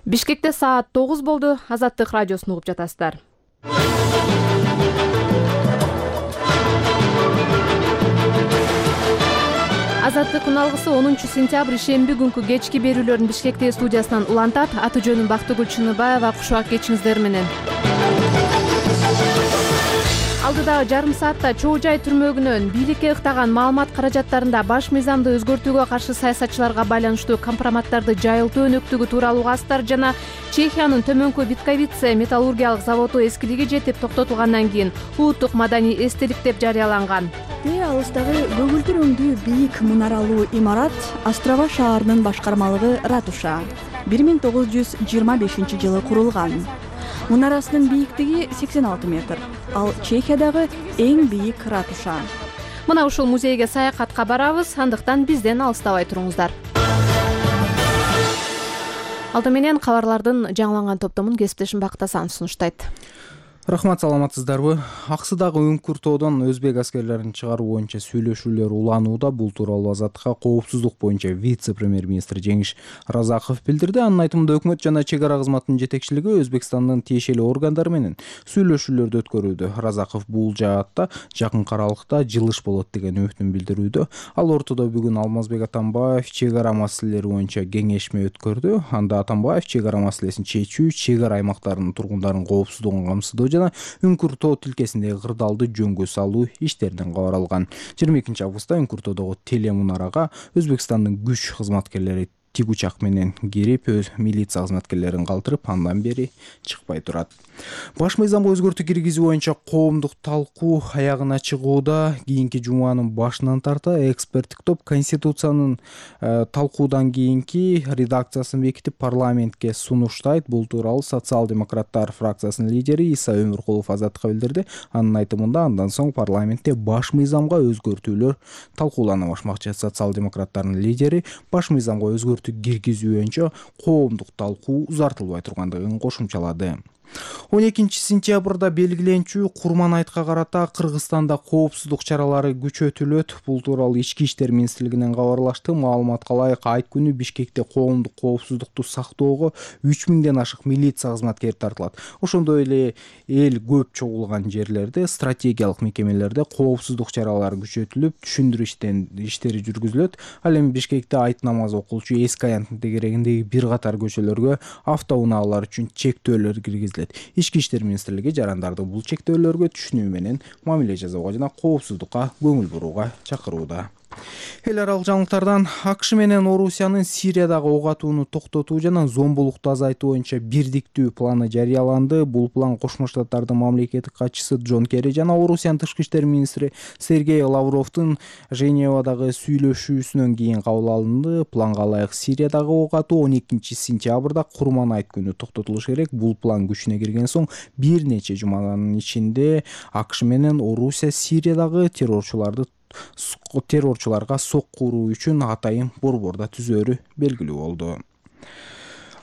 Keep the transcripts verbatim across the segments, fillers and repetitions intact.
Бишкекте саат тогуз болду. Азаттык радиосун угуп жатасыздар. Азаттык күналгысы онунчу сентябрь ишемби күнкү кечки берүүлөрүн Бишкектеги студиясынан улантат. Аты жөнүм Бактыгүл Чыныбаева. Кушак кечиңиздер менен. Алдыдагы жарым саатта чоо жай түрмөгүнөн бийликке ыктаган маалымат каражаттарында баш мыйзамды өзгөртүүгө каршы саясатчыларга байланыштуу компроматтарды жайылтуу өнөктүгү тууралуу астар жана Чехиянын Төмөнкү Витковице металлургиялык заводу эскилиги жетип токтотулгандан кийин улуттук маданий эстелик деп жарыяланган. Тээ алыстагы көгүлдүр өңдүү бийик мунаралуу имарат Острова шаарынын башкармалыгы ратуша бир миң тогуз жүз жыйырма бешинчи жылы курулган. Мунарасынын бийиктиги сексен алты метр. Ал Чехиядагы эң бийик ратуша. Мына ушул музейге саякатка барабыз, андыктан бизден алыстабай туруңуздар. Алды менен кабарлардын жаңыланган топтомун кесиптешим Бактасан сунуштайт. Рахмат, саламатсыздарбы? Аксыдагы Үңкүртоодон өзбек аскерлерин чыгаруу боюнча сүйлөшүүлөр уланууда. Бул тууралуу Азаттыкка коопсуздук боюнча вице-премьер-министр Жеңиш Разаков билдирди. Анын айтымында өкмөт жана чек ара кызматынын жетекчилиги Өзбекстандын тиешелүү органдары менен сүйлөшүүлөрдү өткөрүүдө. Разаков бул жаатта жакын аралыкта жылыш болот деген үмүтүн билдирүүдө. Ал ортодо бүгүн Алмазбек Атамбаев чек ара маселелери боюнча кеңешме өткөрдү. Анда Атамбаев чек ара маселесин чечүү, чек ара аймактарынын тургундарынын коопсуздугун камсыздоо жана Үңкүртоо тилкесиндеги кырдаалды жөнгө салуу иштеринен кабар алган. жыйырма экинчи августта Үңкүртоодогу телемунарага Өзбекстандын күч кызматкерлери тик учак менен кирип, милиция кызматкерлерин калтырып, андан бери чыкпай турат. Баш мыйзамга өзгөртүү киргизүү боюнча коомдук талкуу аягына чыгууда. Кийинки жуманын башынан тарта эксперттик топ Конституциянын э, талкуудан кийинки редакциясын бекитип парламентке сунуштайт. Бул тууралуу социал-демократтар фракциясынын лидери Иса Өмүркулов Азаттыкка билдирди. Анын айтымында андан соң парламентте баш мыйзамга өзгөртүүлөр талкуулана башмакчы. Социал-демократтардын лидери баш мыйзамга өзгөртүү киргизүү боюнча коомдук талкуу узартылбай тургандыгын кошумчалады. он экинчи сентябрда белгиленчү Курман айтка карата Кыргызстанда коопсуздук чаралары күчөтүлөт. Бул тууралуу Ички иштер министрлигинен кабарлашты. Маалыматка ылайык, айт күнү Бишкекте коомдук коопсуздукту сактоого үч миңден ашык милиция кызматкери тартылат. Ошондой эле эл көп чогулган жерлерде, стратегиялык мекемелерде коопсуздук чаралары күчөтүлүп, түшүндүрүү иштери жүргүзүлөт. Ал эми Бишкекте айт намазы окулчу Эски аянттын тегерегиндеги бир катар көчөлөргө автоунаалар үчүн чектөөлөр киргизилет. Ички иштер министрлиги жарандарды бул чектөөлөргө түшүнүү менен мамиле жасоого жана коопсуздукка көңүл бурууга чакырууда. Эл аралык жаңылыктардан АКШ менен Орусиянын Сириядагы ок атууну токтотуу жана зомбулукту азайтуу боюнча бирдиктүү планы жарыяланды. Бул план Кошмо Штаттардын мамлекеттик катчысы Джон Керри жана Орусиянын тышкы иштер министри Сергей Лавровдун Женевадагы сүйлөшүүсүнөн кийин кабыл алынды. Планга ылайык Сириядагы ок атуу он экинчи сентябрда Курман айт күнү токтотулуш керек. Бул план күчүнө кирген соң бир нече жуманын ичинде АКШ менен Орусия Сириядагы террорчуларды террорчуларга сокку уруу үчүн атайын борбордо түзөөрү белгилүү болду.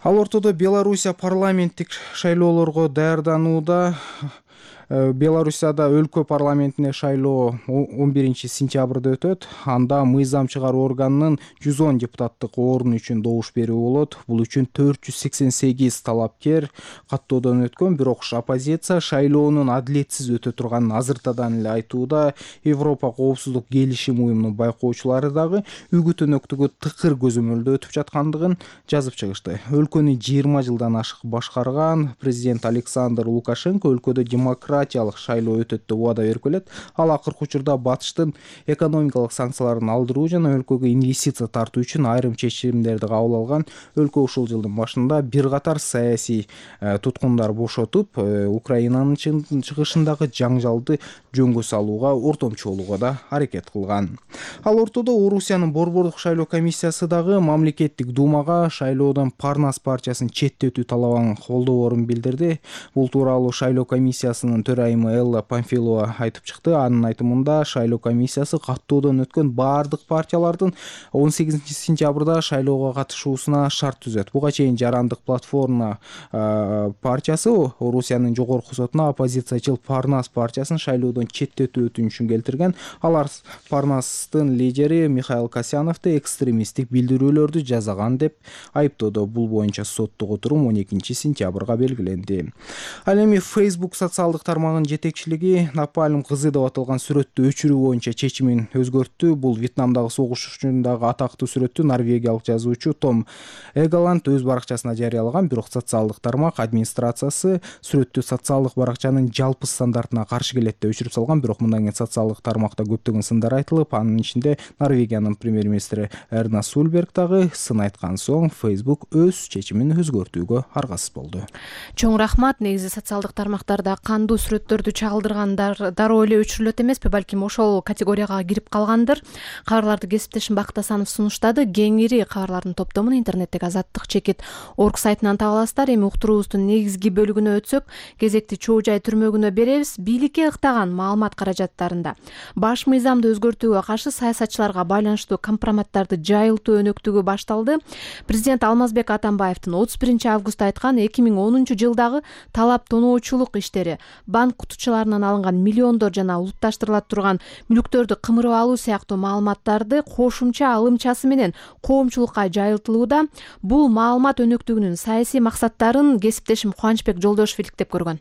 Ал ортодо Белоруссия парламенттик шайлоолорго даярданууда. Белоруссияда өлкө парламентине шайлоо он биринчи сентябрда өтөт. Анда мыйзам чыгаруу органынын жүз он депутаттык орун үчүн добуш берүү болот. Бул үчүн төрт жүз сексен сегиз талапкер каттоодон өткөн, бирок оппозиция шайлоонун адилетсиз өтө турганын азыртадан эле айтууда. Европа коопсуздук келишим уюмунун байкоочулары дагы үгүт өнөктүгү тыкыр көзөмөлдө өтүп жаткандыгын жазып чыгышты. Өлкөнү жыйырма жылдан ашык башкарган президент Александр Лукашенко өлкөдө демократ шайлоо өтөт деп убада берип келет. Ал акыркы учурда батыштын экономикалык санкцияларын алдыруу жана өлкөгө инвестиция тартуу үчүн айрым чечимдерди кабыл алган. Өлкө ушул жылдын башында бир катар саясий туткундар бошотуп, Украинанын чыгышындагы жаңжалды жөнгө салууга, ортомчулууга да аракет кылган. Ал ортодо Орусиянын борбордук шайлоо комиссиясы дагы мамлекеттик думага шайлоодон Парнас партиясын четтетүү талабын колдоорун билдирди. Бул тууралуу шайлоо комиссиясынын төрайымы Элла Памфилова айтып чыкты. Анын айтымында шайлоо комиссиясы каттоодон өткөн баардык партиялардын он сегизинчи сентябрда шайлоого катышуусуна шарт түзөт. Буга чейин Жарандык платформа партиясы Орусиянын жогорку сотуна оппозициячыл Парнас партиясын шайлоодон четтетүү өтүнүшүн келтирген. Алар Парнастын лидери Михаил Касьяновду экстремисттик билдирүүлөрдү жазаган деп айыптоодо. Бул боюнча соттук отурум он экинчи сентябрга белгиленди. Ал эми Facebook социалдык тармагынын жетекчилиги Напалм кызы деп аталган сүрөттү өчүрүү боюнча чечимин өзгөрттү. Бул Вьетнамдагы согуш учурундагы атактуу сүрөттү норвегиялык жазуучу Том Эгаланд өз баракчасына жарыялаган, бирок социалдык тармак администрациясы сүрөттү социалдык баракчанын жалпы стандартына каршы келет деп өчүрүп салган. Бирок мындан кийин социалдык тармакта көптөгөн сындар айтылып, анын ичинде Норвегиянын премьер-министри Эрна Сульберг дагы сын айткан соң Facebook өз чечимин өзгөртүүгө аргасыз болду. Чоң рахмат. Негизи социалдык тармактарда кандуу сүрөттөрдү чагылдыргандар дароо эле өчүрүлөт эмеспи, балким ошол категорияга кирип калгандыр. Кабарларды кесиптешим Бакыт Асанов сунуштады. Кеңири кабарлардын топтомун интернеттеги азаттык чекит орг сайтынан таба аласыздар. Эми уктуруубуздун негизги бөлүгүнө өтсөк, кезекти чоо жай түрмөгүнө беребиз. Бийликке ыктаган маалымат каражаттарында баш мыйзамды өзгөртүүгө каршы саясатчыларга байланыштуу компроматтарды жайылтуу өнөктүгү башталды. Президент Алмазбек Атамбаевдин отуз биринчи августта айткан эки миң онунчу жылдагы талап тоноочулук иштери, банк кутучаларынан алынган миллиондор жана улутташтырыла турган мүлктөрдү кымырып алуу сыяктуу маалыматтарды кошумча алымчасы менен коомчулукка жайылтылууда. Бул маалымат өнөктүгүнүн саясий максаттарын кесиптешим Кубанычбек Жолдошев иликтеп көргөн.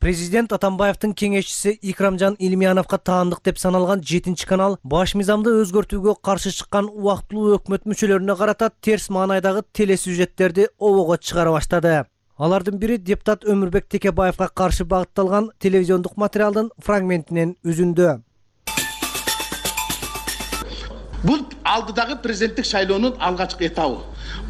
Президент Атамбаевдин кеңешчиси Икрамжан Илмияновго таандык деп саналган жетинчи канал баш мыйзамды өзгөртүүгө каршы чыккан убактылуу өкмөт мүчөлөрүнө карата терс маанайдагы телесюжеттерди обого чыгара баштады. Алардын бири депутат Өмүрбек Текебаевга каршы багытталган телевизиондук материалдын фрагментинен үзүндү. Бул алдыдагы президенттик шайлоонун алгачкы этабы.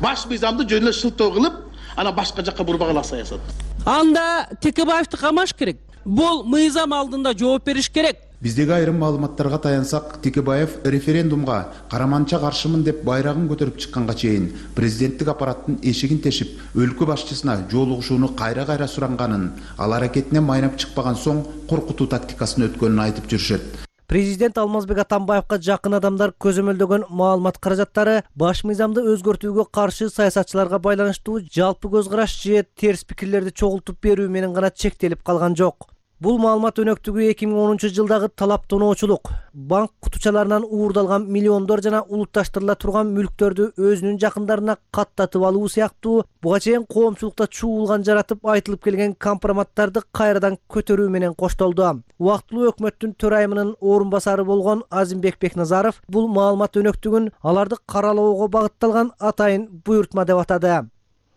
Баш мыйзамды жөн эле шылтоо кылып, ана башка жакка бурбагыла саясат. Анда Текебаевди камаш керек. Бул мыйзам алдында жооп бериш керек. Биздеги айрым маалыматтарга таянсак, Текебаев референдумга караманча каршымын деп байрагын көтөрүп чыкканга чейин президенттик аппараттын эшигин тешип, өлкө башчысына жолугушууну кайра-кайра суранганын, ал аракетине майнап чыкпаган соң коркутуу тактикасын өткөнүн айтып жүрүшөт. Президент Алмазбек Атамбаевга жакын адамдар көзөмөлдөгөн маалымат каражаттары баш мыйзамды өзгөртүүгө каршы саясатчыларга байланыштуу жалпы көз караш же терс пикирлерди чогултуп берүү менен гана чектелип калган жок. Бул маалымат өнөктүгү эки миң онунчу жылдагы талап тоноочулук, банк кутучаларынан уурдалган миллиондор жана улутташтырыла турган мүлктөрдү өзүнүн жакындарына каттатып алуу сыяктуу буга чейин коомчулукта чуулган жаратып айтылып келген компроматтарды кайрадан көтөрүү менен коштолду. Убактылуу өкмөттүн төрайымынын орун басары болгон Азимбек Бекназаров бул маалымат өнөктүгүн аларды каралоого багытталган атайын буйртма деп атады.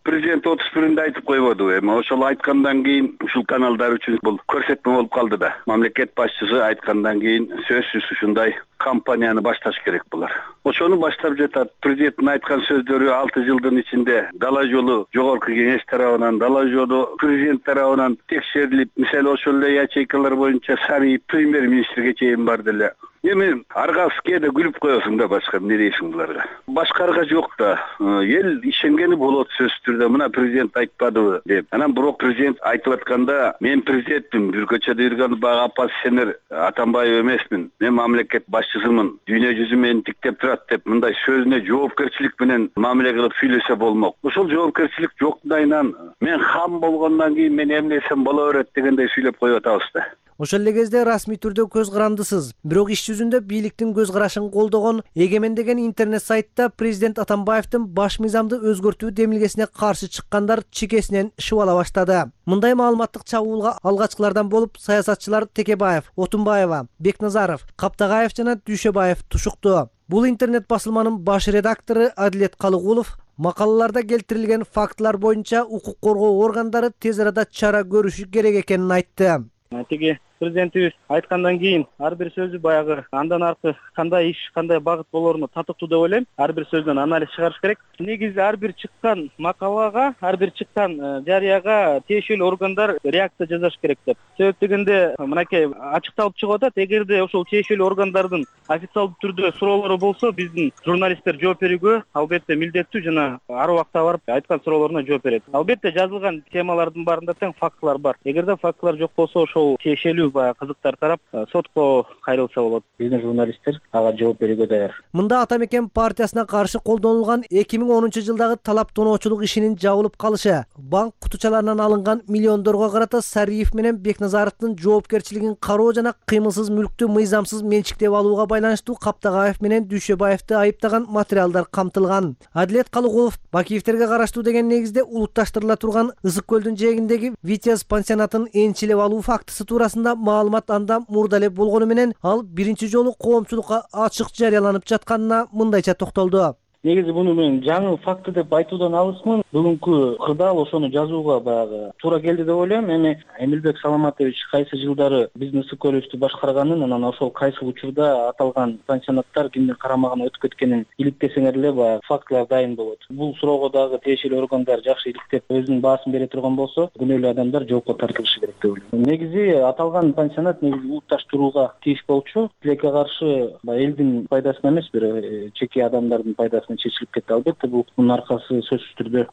Президент отуз биринде айтып койбоду. Эми ошол айткандан кийин ушул каналдар үчүн бул көрсөтмө болуп калды да. Мамлекет башчысы айткандан кийин сөзсүз ушундай кампанияны башташ керек булар. Ошону баштап жатат. Президенттин айткан сөздөрү алты жылдын ичинде дала жолу жогорку кеңеш тарабынан, дала жолу президент тарабынан текшерилип, мисалы ошол эле ячейкалар боюнча сарый премьер-министрге чейин барды эле. Эми аргасы кээде күлүп коесуң да, башка эмне дейсиң буларга. Башкарга жок да. Эл ишенгени болот сөзсүз түрдө. Мына президент айтпадыбы деп. Анан бирок президент айтып атканда, мен президентмин, бир көчөдө жүргөн бага оппозиционер Атамбаев эмесмин. Мен мамлекет башчысымын. Дүйнө жүзү мени тиктеп турат деп мындай сөзүнө жоопкерчилик менен мамиле кылып сүйлөсө болмок. Ошол жоопкерчилик жоктайынан мен хам болгондон кийин мен эмне десем боло берет дегендей сүйлөп коюп атабыз да. Ошол эле кезде расмий түрдө көз карандысыз, бирок иш жүзүндө бийликтин көз карашын колдогон Эгемен деген интернет сайтта президент Атамбаевдин баш мыйзамды өзгөртүү демилгесине каршы чыккандар чекесинен шыбала баштады. Мындай маалыматтык чабуулга алгачкылардан болуп саясатчылар Текебаев, Отунбаева, Бекназаров, Каптагаев жана Дүйшөбаев тушукту. Бул интернет басылманын баш редактору Адилет Калыгулов макалаларда келтирилген фактылар боюнча укук коргоо органдары тез арада чара көрүшү керек экенин айтты. Тиги президентибиз айткандан кийин ар бир сөзү баягы андан аркы кандай иш, кандай багыт болоруна татыктуу деп ойлойм. Ар бир сөздөн анализ чыгарыш керек. Негизи ар бир чыккан макалага, ар бир чыккан жарыяга тиешелүү органдар реакция жасаш керек деп. Себеп дегенде мынакей ачыкталып чыгып атат. Эгерде ошол тиешелүү органдардын официалдуу түрдө суроолору болсо, биздин журналисттер жооп берүүгө албетте милдеттүү жана ар убакта барып айткан суроолоруна жооп берет. Албетте жазылган темалардын баарында тең фактылар бар. Эгерде фактылар жок болсо, ошол тиешелүү баягы кызыктар тарап сотко кайрылса болот. Биздин журналисттер ага жооп берүүгө даяр. Мында Ата Мекен партиясына каршы колдонулган эки миң онунчу жылдагы талап тоноочулук ишинин жабылып калышы, банк кутучаларынан алынган миллиондорго карата Сариев менен Бекназаровдун жоопкерчилигин кароо жана кыймылсыз мүлктү мыйзамсыз менчиктеп алууга байланыштуу Каптагаев менен Дүйшөбаевди айыптаган материалдар камтылган. Адилет Калыгулов Бакиевтерге караштуу деген негизде улутташтырыла турган Ысык көлдүн жээгиндеги Витязь пансионатын энчилеп алуу фактысы туурасында маалымат анда мурда эле болгону менен ал биринчи жолу коомчулукка ачык жарыяланып жатканына мындайча токтолду. Негизи муну мен жаңы факты деп айтуудан алысмын. Бүгүнкү кырдаал ошону жазууга баягы туура келди деп ойлойм. Эми Эмилбек Саламатович кайсы жылдары биздин Ысык көлүбүздү башкарганын, анан ошол кайсы учурда аталган пансионаттар кимдин карамагына өтүп кеткенин иликтесеңер эле баягы фактылар дайын болот. Бул суроого дагы тиешелүү органдар жакшы иликтеп өзүнүн баасын бере турган болсо, күнөөлүү адамдар жоопко тартылышы керек деп ойлойм. Негизи аталган пансионат негизи улутташтырууга тийиш болчу. Тилекке каршы элдин пайдасына эмес, бир чеки адамдардын пайдасына чечилип кетти. Албетте бул мунун аркасы сөзсүз түрдө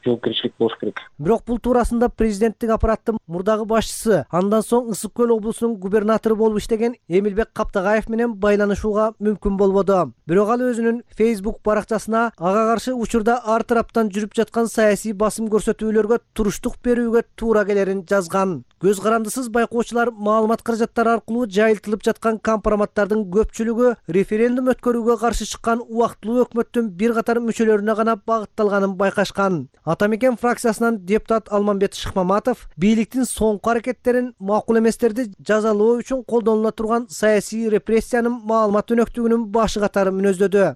жоопкерчилик болуш керек. Бирок бул туурасында президенттик аппараттын мурдагы башчысы, андан соң Ысык көл облусунун губернатору болуп иштеген Эмилбек Каптагаев менен байланышууга мүмкүн болбоду. Бирок ал өзүнүн Facebook баракчасына ага каршы учурда ар тараптан жүрүп жаткан саясий басым көрсөтүүлөргө туруштук берүүгө туура келерин жазган. Көз карандысыз байкоочулар маалымат каражаттары аркылуу жайылтылып жаткан компроматтардын көпчүлүгү референдум өткөрүүгө каршы чыккан убактылуу өкмөттүн бир катар мүчөлөрүнө гана багытталганын байкашкан. Ата Мекен фракциясынан депутат Алмамбет Шыкмаматов бийликтин соңку аракеттерин макул эместерди жазалоо үчүн колдонула турган саясий репрессиянын маалымат өнөктүгүнүн башы катары мүнөздөдү.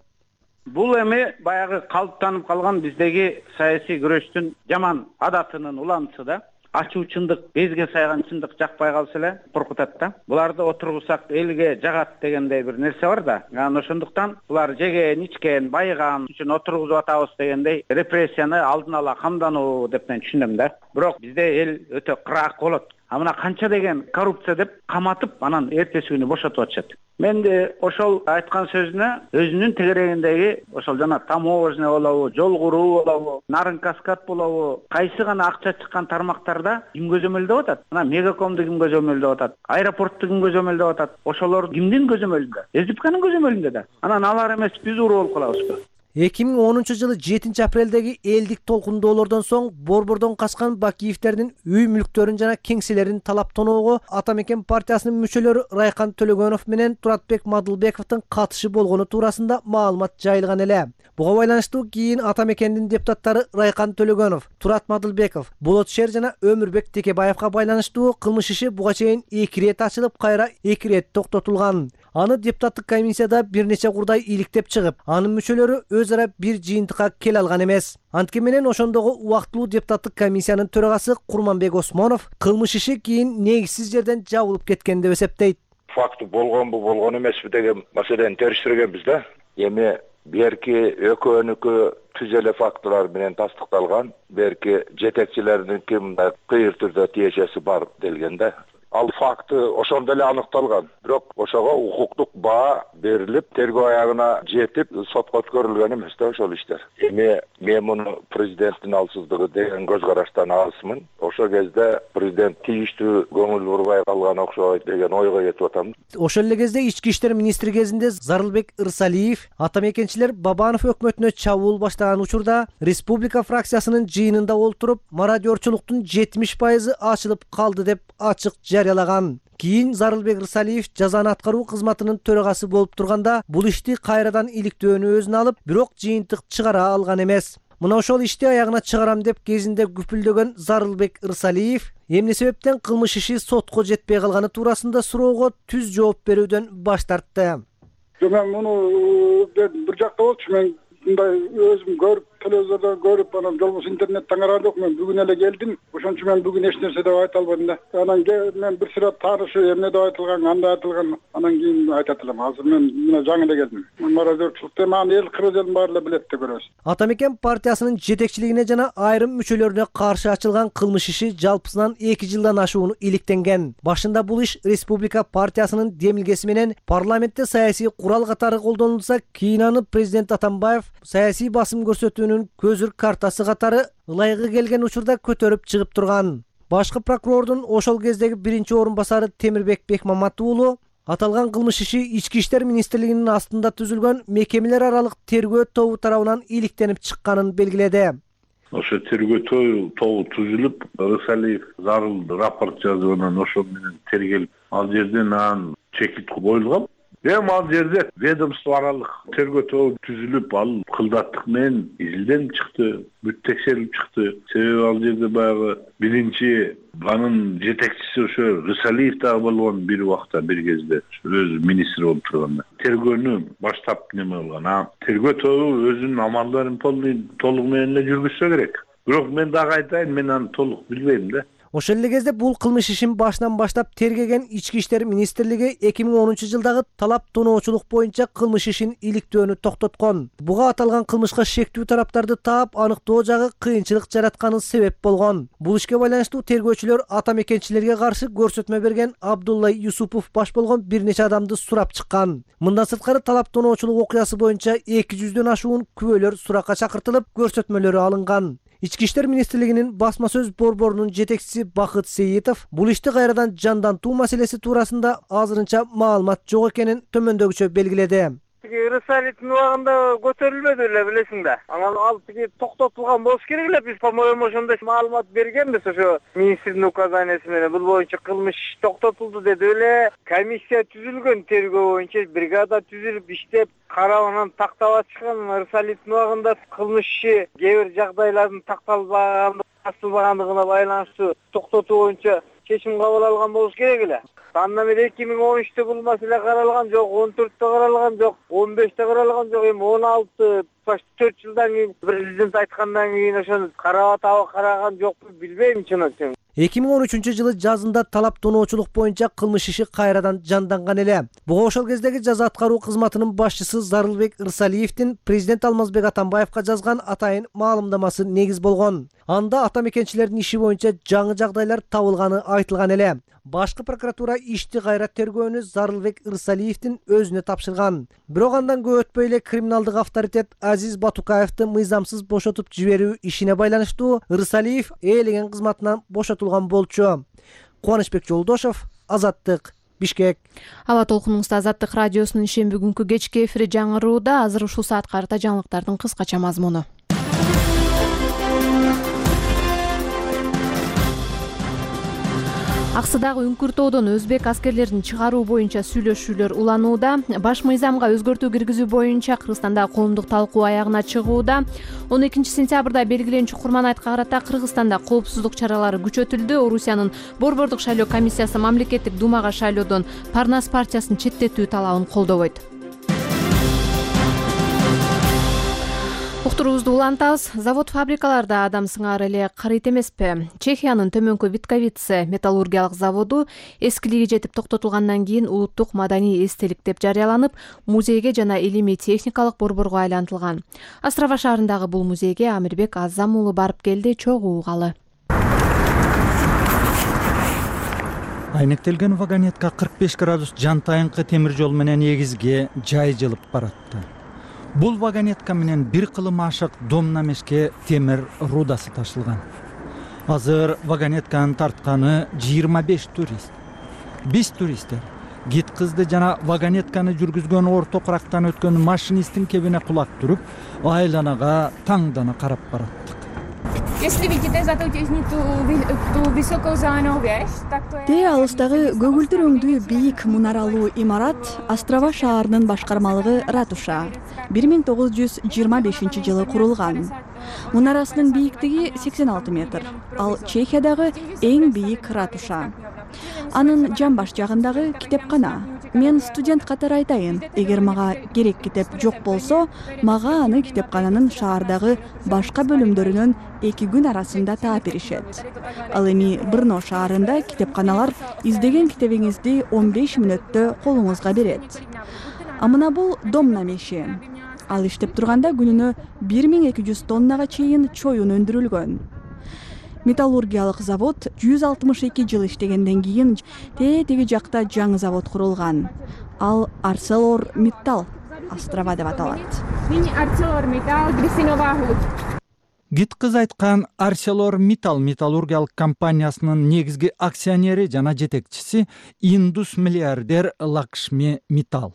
Бул эми баягы калыптанып калган биздеги саясий күрөштүн жаман адатынын уланысы да. Ачуу чындык, безге сайган чындык жакпай калса эле коркутат да. Буларды отургусак элге жагат дегендей бир нерсе бар да. Анан ошондуктан булар жеген, ичкен, байыган үчүн отургузуп атабыз дегендей репрессияны алдын ала камдануу деп мен түшүнөм да. Бирок бизде эл өтө кыраак болот. А мына канча деген коррупция деп каматып, анан эртеси күнү бошотуп атышат. Мен де ошол айткан сөзүнө өзүнүн тегерегиндеги ошол жана таможня болобу, жол куруу болобу, нарын каскад болобу, кайсы гана акча чыккан тармактарда ким көзөмөлдөп атат? Мына Мегакомду ким көзөмөлдөп атат? Аэропортту ким көзөмөлдөп атат? Ошолор кимдин көзөмөлүндө? СДПКнын көзөмөлүндө да. Анан алар эмес биз уруу болуп калабызбы? эки миң онунчу жылы жетинчи апрелдеги элдик толкундоолордон соң Борбордон качкан Бакиевтердин үй мүлктөрүн жана кеңселерин талап тоноого Ата Мекен партиясынын мүчөлөрү Райкан Төлөгөнов менен Туратбек Мадылбековдун катышы болгону туурасында маалымат жайылган эле. Буга байланыштуу кийин Ата Мекендин депутаттары Райкан Төлөгөнов, Турат Мадылбеков, Болот Шер жана Өмүрбек Текебаевга байланыштуу кылмыш иши буга чейин эки ирет ачылып, кайра эки ирет токтотулган. Аны депутаттык комиссияда бир нече курдай иликтеп чыгып, анын мүчөлөрү өз ара бир жыйынтыкка келе алган эмес. Анткени менен ошондогу убактылуу депутаттык комиссиянын төрагасы Курманбек Осмонов кылмыш иши кийин негизсиз жерден жабылып кеткен деп эсептейт. Факты болгонбу, болгон эмеспи деген маселени териштиргенбиз да. Эми берки экөөнүкү түз эле фактылар менен тастыкталган, берки жетекчилердинки мындай кыйыр түрдө тиешеси бар делген да. Ал факты ошондо эле аныкталган. Бирок ошого укуктук баа берилип, тергөө аягына жетип, сотко өткөрүлгөн эмес да ошол иштер. Эми мен муну президенттин алсыздыгы деген көз караштан алысмын. Ошол кезде президент тийиштүү көңүл бурбай калган окшойт деген ойго кетип атам. Ошол эле кезде ички иштер министри кезинде Зарылбек Ырсалиев Ата Мекенчилер Бабанов өкмөтүнө чабуул баштаган учурда республика фракциясынын жыйынында олтуруп, мародёрчулуктун жетимиш пайызы ачылып калды деп ачык жарыялаган. Кийин Зарылбек Ырсалиев жазаны аткаруу кызматынын төрагасы болуп турганда бул ишти кайрадан иликтөөнү өзүнө алып, бирок жыйынтык чыгара алган эмес. Мына ошол ишти аягына чыгарам деп кезинде күпүлдөгөн Зарылбек Ырсалиев эмне себептен кылмыш иши сотко жетпей калганы туурасында суроого түз жооп берүүдөн баш тартты. Мен муну бир жакта болчу, мен мындай өзүм көрүп телевизордон көрүп, анан болбосо интернеттен караган жокмун. Бүгүн эле келдим. Ошон үчүн мен бүгүн эч нерсе деп айта албадым да. Анан мен бир сыйра таанышы эмне деп айтылган, кандай айтылган, анан кийин айтат элем. Азыр мен мына жаңы эле келдим. Мародёрчулукты мага эл кыргыз элин баары эле билет деп көрөбүз. Атамекен партиясынын жетекчилигине жана айрым мүчөлөрүнө каршы ачылган кылмыш иши жалпысынан эки жылдан ашууну иликтенген. Башында бул иш Республика партиясынын демилгеси менен парламентте саясий курал катары колдонулса, кийин аны президент Атамбаев саясий басым көрсөтүүнүн көзүр картасы катары ылайыгы келген учурда көтөрүп чыгып турган. Башкы прокурордун ошол кездеги биринчи орун басары Темирбек Бекмамат уулу аталган кылмыш иши Ички иштер министрлигинин астында түзүлгөн мекемелер аралык тергөө тобу тарабынан иликтенип чыкканын белгиледи. Ошо тергөө тобу түзүлүп, Рысалиев зарыл рапорт жазып, анан ошол менен тергелип, ал жерден анан чекит коюлган. Эми ал жерде ведомство аралык тергөө тобу түзүлүп, ал кылдаттык менен изилденип чыкты, бүт текшерилип чыкты. Себеби ал жерде баягы биринчи анын жетекчиси ошо Рысалиев дагы болгон бир убакта, бир кезде өзү министр болуп турганда. Тергөөнү баштап неме кылган. А тергөө тобу өзүнүн амалдарын толук менен эле жүргүзсө керек. Бирок мен дагы айтайын, мен аны толук билбейм да. Ошол эле кезде бул кылмыш ишин башынан баштап тергеген Ички иштер министрлиги эки миң онунчу жылдагы талап тоноочулук боюнча кылмыш ишин иликтөөнү токтоткон. Буга аталган кылмышка шектүү тараптарды таап аныктоо жагы кыйынчылык жаратканы себеп болгон. Бул ишке байланыштуу тергөөчүлөр атамекенчилерге каршы көрсөтмө берген Абдулла Юсупов баш болгон бир нече адамды сурап чыккан. Мындан сырткары талап тоноочулук окуясы боюнча эки жүздөн ашуун күбөлөр суракка чакыртылып, көрсөтмөлөрү алынган. Ички иштер министрлигинин басма сөз борборунун жетекчиси Бакыт Сейитов бул ишти кайрадан жандантуу маселеси туурасында азырынча маалымат жок экенин төмөндөгүчө белгиледи. Рысалиевдин убагында көтөрүлбөдү эле, билесиң да. Анан ал тиги токтотулган болуш керек эле. Биз по-моему ошондой маалымат бергенбиз ошо министрдин указаниясы менен. Бул боюнча кылмыш токтотулду деди эле. Комиссия түзүлгөн тергөө боюнча, бригада түзүлүп иштеп, карап анан тактап ачкан. Рысалиевдин убагында кылмыш иши кээ бир жагдайлардын такталбагандыгы, ачылбагандыгына байланыштуу токтотуу боюнча чечим кабыл алган болуш керек эле. Андан бери эки миң он үчтө бул маселе каралган жок, он төрттө каралган жок, он беште каралган жок, эми он алты, төрт жылдан кийин президент айткандан кийин ошону карап атабы, караган жокпу, билбейм чын айтсам. эки миң он үчүнчү жылы жазында талап тоноочулук боюнча кылмыш иши кайрадан жанданган эле. Буга ошол кездеги жаза аткаруу кызматынын башчысы Зарылбек Рысалиевдин президент Алмазбек Атамбаевка жазган атайын маалымдамасы негиз болгон. Анда атамекенчилердин иши боюнча жаңы жагдайлар табылганы айтылган эле. Башкы прокуратура ишти кайра тергөөнү Зарылбек Рысалиевдин өзүнө тапшырган. Бирок андан көп өтпөй эле криминалдык авторитет Азиз Батукаевди мыйзамсыз бошотуп жиберүү ишине байланыштуу Рысалиев ээлеген кызматынан бошотулган болчу. Кубанычбек Жолдошов, Азаттык, Бишкек. Аба толкунуңузда Азаттык радиосунун шемби күнкү кечки эфири жаңырууда. Азыр ушул саатка карата жаңылыктардын кыскача мазмуну. Аксыдагы Үңкүртоодон өзбек аскерлерин чыгаруу боюнча сүйлөшүүлөр уланууда. Баш мыйзамга өзгөртүү киргизүү боюнча Кыргызстанда коомдук талкуу аягына чыгууда. он экинчи сентябрда белгиленчү Курманайтка карата Кыргызстанда коопсуздук чаралары күчөтүлдү. Орусиянын борбордук шайлоо комиссиясы мамлекеттик думага шайлоодон Парнас партиясын четтетүү талабын колдобойт. Уктуруубузду улантабыз. Завод-фабрикаларда адам сыңары эле карыйт эмеспи? Чехиянын Төмөнкү Витковице металлургиялык заводу эскилиги жетип токтотулгандан кийин улуттук маданий эстелик деп жарыяланып, музейге жана илимий техникалык борборго айлантылган. Острова шаарындагы бул музейге Амирбек Азам уулу барып келди, чогуу угалы. Айнектелген вагонетка кырк беш градус жантайынкы темир жол менен эгизге жай жылып баратты. Бул вагонетка менен бир кылым ашык Домнамешке темир рудасы ташылган. Азыр вагонетканын тартканы жыйырма беш турист. Биз туристтер гид кызды жана вагонетканы жүргүзгөн орто кырактан өткөн машинисттин кебине кулак туруп, айланага таңдана карап бараттык. Если видите за ту ту высокую занавес, так то Те алыстагы көгүлтүр өңдүү бийик мунаралуу имарат Острова шаарынын башкармалыгы ратуша. бир миң тогуз жүз жыйырма бешинчи жылы курулган. Мунарасынын бийиктиги сексен алты метр. Ал Чехиядагы эң бийик ратуша. Анын жамбаш жагындагы китепкана. мен студент катары айтайын, эгер мага керек китеп жок болсо, мага аны китепкананын шаардагы башка бөлүмдөрүнөн эки күн арасында таап беришет. Ал эми Брно шаарында китепканалар издеген китебиңизди он беш мүнөттө колуңузга берет. А мына бул домна меши. Ал иштеп турганда күнүнө бир миң эки жүз тоннага чейин чоюн өндүрүлгөн. Металлургиялык завод жүз алтымыш эки жыл иштегенден кийин тетиги жакта жаңы завод курулган. Ал ArcelorMittal острова деп аталат. Гиткыз айткан ArcelorMittal металлургиялык компаниясынын негизги акционери жана жетекчиси индус миллиардер Лакшми Миттал.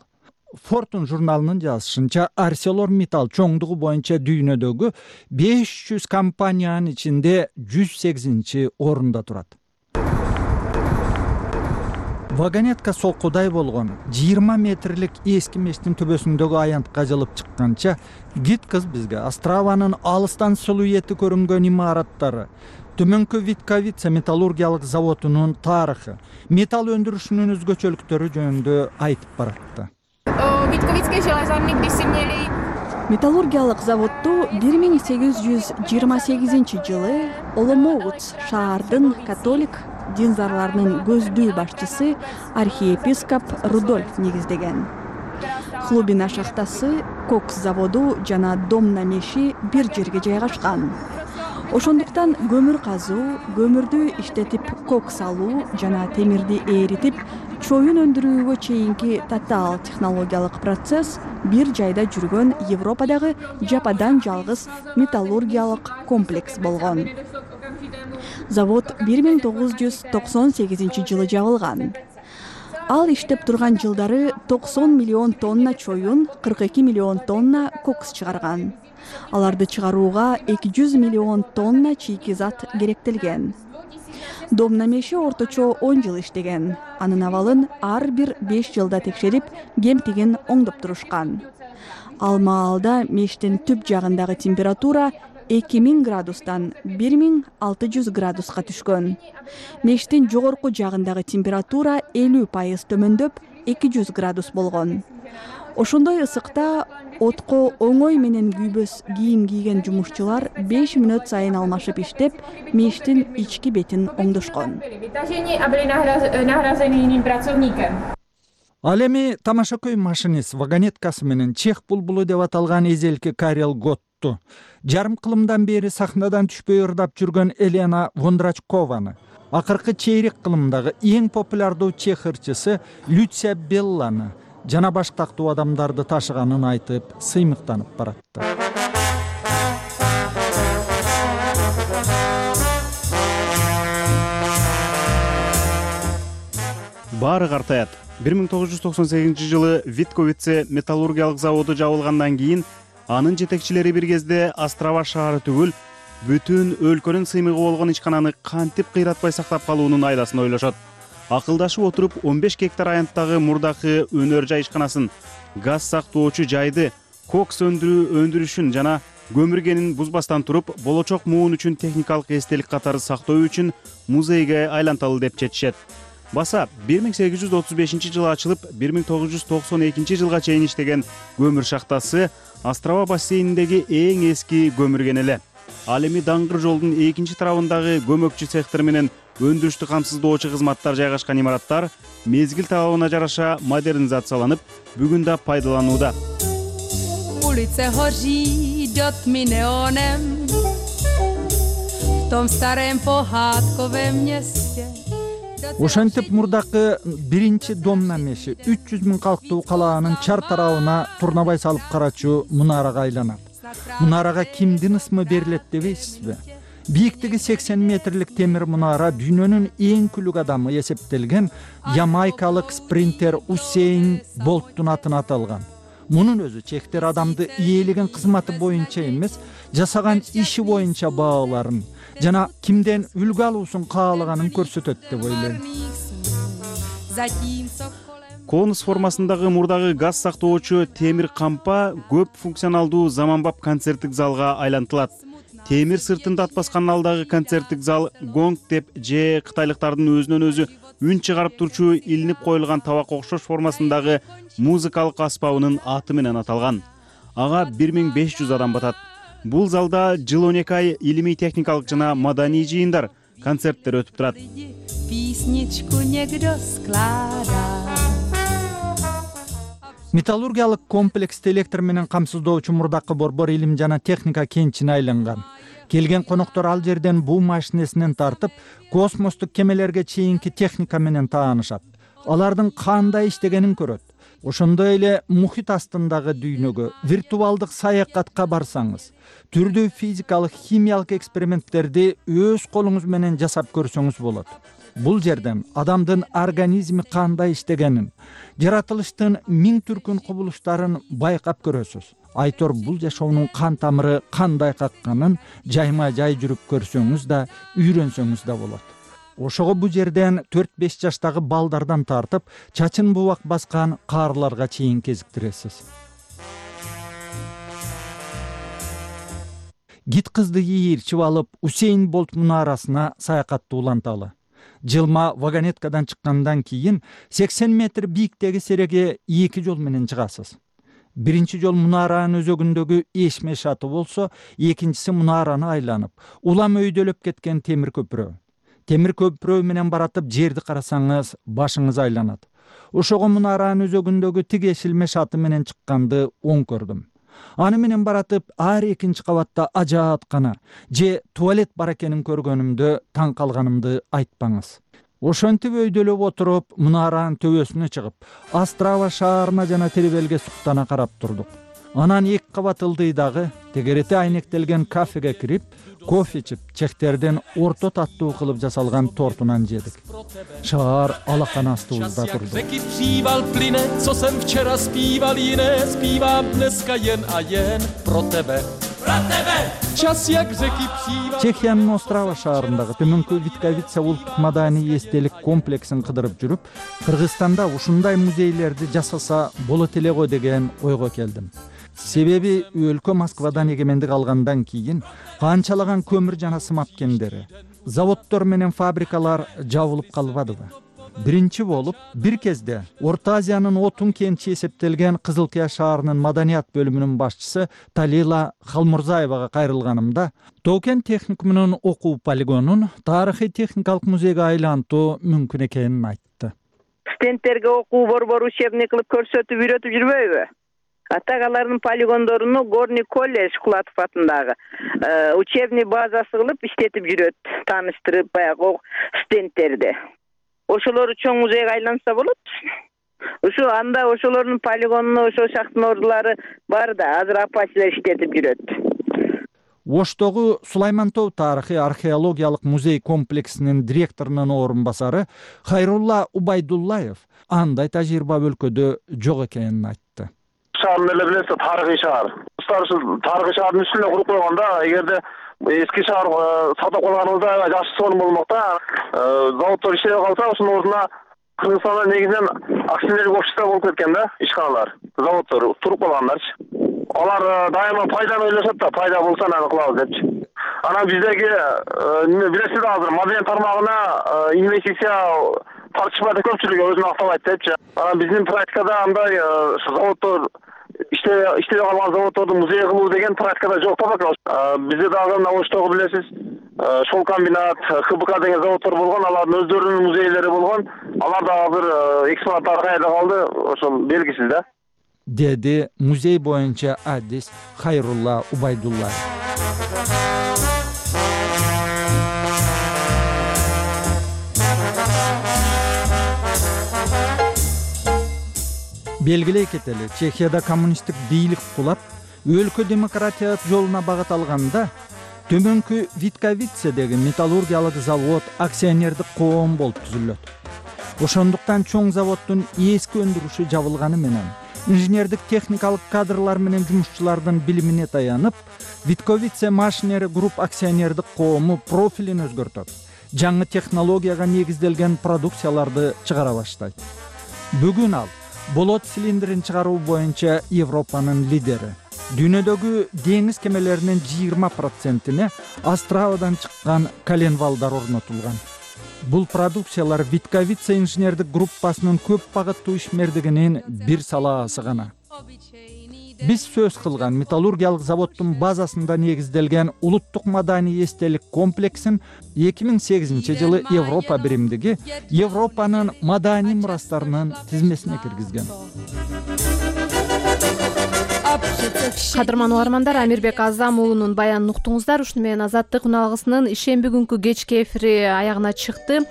Fortune журналынын жазышынча ArcelorMittal чоңдугу боюнча дүйнөдөгү беш жүз компаниянын ичинде жүз сегизинчи орунда турат. Вагонетка солкудай болгон жыйырма метрлик эски мештин төбөсүндөгү аянтка жылып чыкканча Гиткыз бизге Острованын алыстан силуэти көрүнгөн имараттары, төмөнкү Витковица металлургиялык заводунун тарыхы, металл өндүрүшүнүн өзгөчөлүктөрү жөнүндө айтып баратты. Металлургиялык заводду бир миң сегиз жүз жыйырма сегизинчи жылы Оломоут шаардын католик динзарларынын көздүү башчысы архиепископ Рудольф негиздеген. Хлубина шахтасы, кокс заводу жана домна меши бир жерге жайгашкан. Ошондуктан көмүр казуу, көмүрдү иштетип кокс алуу жана темирди эритип чоюн өндүрүүгө чейинки татаал технологиялык процесс бир жайда жүргөн Европадагы жападан жалгыз металлургиялык комплекс болгон. Завод бир миң тогуз жүз токсон сегизинчи жылы жабылган. Ал иштеп турган жылдары токсон миллион тонна чоюн, кырк эки миллион тонна кокс чыгарган. Аларды чыгарууга эки жүз миллион тонна чийки зат керектелген. Домна меши орточо он жыл иштеген. Анын абалын ар бир беш жылда текшерип, кемтигин оңдоп турушкан. Ал маалда мештин түп жагындагы температура эки миң градустан бир миң алты жүз градуска түшкөн. Мештин жогорку жагындагы температура элүү пайыз төмөндөп эки жүз градус болгон. Ошондой ысыкта отко оңой менен күйбөс кийим кийген жумушчулар беш мүнөт сайын алмашып иштеп, мештин ички бетин оңдошкон. Ал эми тамашакөй машинист вагонеткасы менен чех булбулу деп аталган эзелки Карел Готту, жарым кылымдан бери сахнадан түшпөй ырдап жүргөн Елена Вондрачкованы, акыркы чейрек кылымдагы эң популярдуу чех ырчысы Люция Белланы жана баш тактуу адамдарды ташыганын айтып, сыймыктанып баратты. Баары картаят. бир миң тогуз жүз токсон сегизинчи жылы Витковице металлургиялык заводу жабылгандан кийин анын жетекчилери бир кезде Острова шаары түгүл, бүтүн өлкөнүн сыймыгы болгон ичкананы кантип кыйратпай сактап калуунун айдасын ойлошот. Акылдашып отуруп он беш гектар аянттагы мурдакы өнөр жай ишканасын, газ сактоочу жайды, кокс өндүрүү өндүрүшүн жана көмүргенин бузбастан туруп, болочок муун үчүн техникалык эстелик катары сактоо үчүн музейге айланталы деп чечишет. Баса бир миң сегиз жүз отуз бешинчи жылы ачылып, бир миң тогуз жүз токсон экинчи жылга чейин иштеген көмүр шахтасы Острова бассейниндеги эң эски көмүрген эле. Ал эми даңгыр жолдун экинчи тарабындагы көмөкчү цехтер менен өндүрүштү камсыздоочу кызматтар жайгашкан имараттар мезгил талабына жараша модернизацияланып, бүгүн да пайдаланууда. Ulice hoří dotmi neonem v tom starém pohádkovém městě. Ошентип мурдакы биринчи домна меши үч жүз миң калктуу калаанын чар тарабына турнабай салып карачу мунарага айланат. Мунарага кимдин ысмы берилет дебейсизби? Бийиктиги сексен метрлик темир мунара дүйнөнүн эң күлүк адамы эсептелген ямайкалык спринтер Усейн Болттун атына аталган. Мунун өзү чехтер адамды ээлеген кызматы боюнча эмес, жасаган иши боюнча бааларын жана кимден үлгү алуусун каалаганын көрсөтөт деп ойлойм. Конус формасындагы мурдагы газ сактоочу темир кампа көп функционалдуу заманбап концерттик залга айлантылат. темир сыртын татпаскан алдагы концерттик зал гонг деп же кытайлыктардын өзүнөн өзү үн чыгарып турчу илинип коюлган табак окшош формасындагы музыкалык аспабынын аты менен аталган. Ага бир миң беш жүз адам батат. Бул залда жыл он эки ай илимий техникалык жана маданий жыйындар, концерттер өтүп турат. Металлургиялык комплексти электр менен камсыздоочу мурдакы борбор илим жана техника кенчине айланган. Келген коноктор ал жерден буу машинесинен тартып, космостук кемелерге чейинки техника менен таанышат. Алардын кандай иштегенин көрөт. Ошондой эле мухит астындагы дүйнөгө, виртуалдык саякатка барсаңыз, түрдүү физикалык, химиялык эксперименттерди өз колуңуз менен жасап көрсөңүз болот. Бул жерден адамдын организми кандай иштегенин, жаратылыштын миң түркүн кубулуштарын байкап көрөсүз. Айтор бул жашоонун кан тамыры кандай какканын жайма жай жүрүп көрсөңүз да, үйрөнсөңүз да болот. Ошого бул жерден төрт беш жаштагы балдардан тартып, чачын бубак баскан каарларга чейин кезиктиресиз. Гит кызды ийирчип алып, Усейн Болт мунарасына саякатты уланталы. Жылма вагонеткадан чыккандан кийин сексен метр бийиктеги сереге эки жол менен чыгасыз. Биринчи жол мунаранын өзөгүндөгү эшме шаты болсо, экинчиси мунараны айланып, улам өйдөлөп кеткен темир көпүрө. Темир көпүрө менен баратып жерди карасаңыз, башыңыз айланат. Ошого мунаранын өзөгүндөгү тиги эшилме шаты менен чыкканды оң көрдүм. Аны менен баратып, ар экинчи кабатта ажааткана же туалет бар экенин көргөнүмдө таң калганымды айтпаңыз. Ошентип өйдөлөп отуруп, мунаранын төбөсүнө чыгып, Острава шаарына жана Теребелге суктана карап турдук. Анан эки кабат ылдыйдагы тегерети айнектелген кафеге кирип, кофе ичип, чехтерден орто таттуу кылып жасалган тортунан жедик. Шаар алакан астыбызда турду. Чехиянын Острава шаарындагы төмөнкү Витковица улуттук маданий эстелик комплексин кыдырып жүрүп, Кыргызстанда ушундай музейлерди жасаса болот эле го деген ойго келдим. Себеби өлкө Москвадан эгемендик алгандан кийин канчалаган көмүр жана сымап кендери, заводдор менен фабрикалар жабылып калбадыбы? Биринчи болуп, бир кезде Орто Азиянын отун кенчи эсептелген Кызылкыя шаарынын маданият бөлүмүнүн башчысы Талила Халмурзаевага кайрылганымда, Тоокен техникумунун окуу полигонун тарыхый техникалык музейге айлантуу мүмкүн экенин айтты. Студенттерге окуу борбор учебный кылып көрсөтүп үйрөтүп жүрбөйбү? Атагалардын полигондоруну Горный колледж Кулатов атындагы учебный базасы кылып иштетип жүрөт, тааныштырып баягы студенттерди. Ошолору чоң музейге айланса болот. Ушу анда ошолордун полигонуна ошо шахтын ордулары бар да, азыр апачилер иштетип жүрөт. Оштогу Сулаймантоо тарыхый археологиялык музей комплексинин директорунун орун басары Хайрулла Убайдуллаев андай тажрыйба өлкөдө жок экенин айтты. Шаарын эле билесиз, тарыхый шаар. Тарыхый шаардын үстүнө куруп койгондо, эгерде эски шаар сатып калганыбызда жакшы сонун болмок да. Заводдор иштебей калса, ошонун ордуна Кыргызстанда негизинен акционерлик общество болуп кеткен да, ишканалар, заводдор туруп калгандарчы. Алар дайыма пайданы ойлошот да, пайда болсо аны кылабыз депчи. Анан биздеги билесиз да, азыр маданият тармагына инвестиция тартышпайт, көпчүлүгү өзүн актабайт депчи. Анан биздин практикада андай заводдор иштебей калган заводдорду музей кылуу деген практикада жок да. Бизде дагы мына Оштогу билесиз, Шол комбинат, Х Б К деген заводдор болгон, алардын өздөрүнүн музейлери болгон. Алар да азыр экспонаттары кайда калды, ошол белгисиз да. Деди музей боюнча адис Хайрулла Убайдуллаев. Белгилей кетели, Чехияда коммунисттик бийлик кулап, өлкө демократия жолуна багыт алганда, төмөнкү Витковицедеги металлургиялык завод акционердик коом болуп түзүлөт. Ошондуктан чоң заводдун эски өндүрүшү жабылганы менен, инженердик техникалык кадрлар менен жумушчулардын билимине таянып, Витковице Машинери групп акционердик коому профилин өзгөртөт. Жаңы технологияга негизделген продукцияларды чыгара баштайт. Бүгүн ал болот цилиндрин чыгаруу боюнча Европанын лидери. дүйнөдөгү деңиз кемелеринин жыйырма процентине Островадан чыккан коленвалдар орнотулган. Бул продукциялар Витковица инженердик группасынын көп багыттуу ишмердигинин бир салаасы гана. Биз сөз кылган металлургиялык заводдун базасында негизделген улуттук маданий эстелик комплексин эки миң сегизинчи жылы Европа биримдиги Европанын маданий мурастарынын тизмесине киргизген. Кадырман угармандар, Амирбек Азам уулунун баянын уктуңуздар. Ушуну менен Азаттык үналгысынын ишемби күнкү кечки эфири аягына чыкты.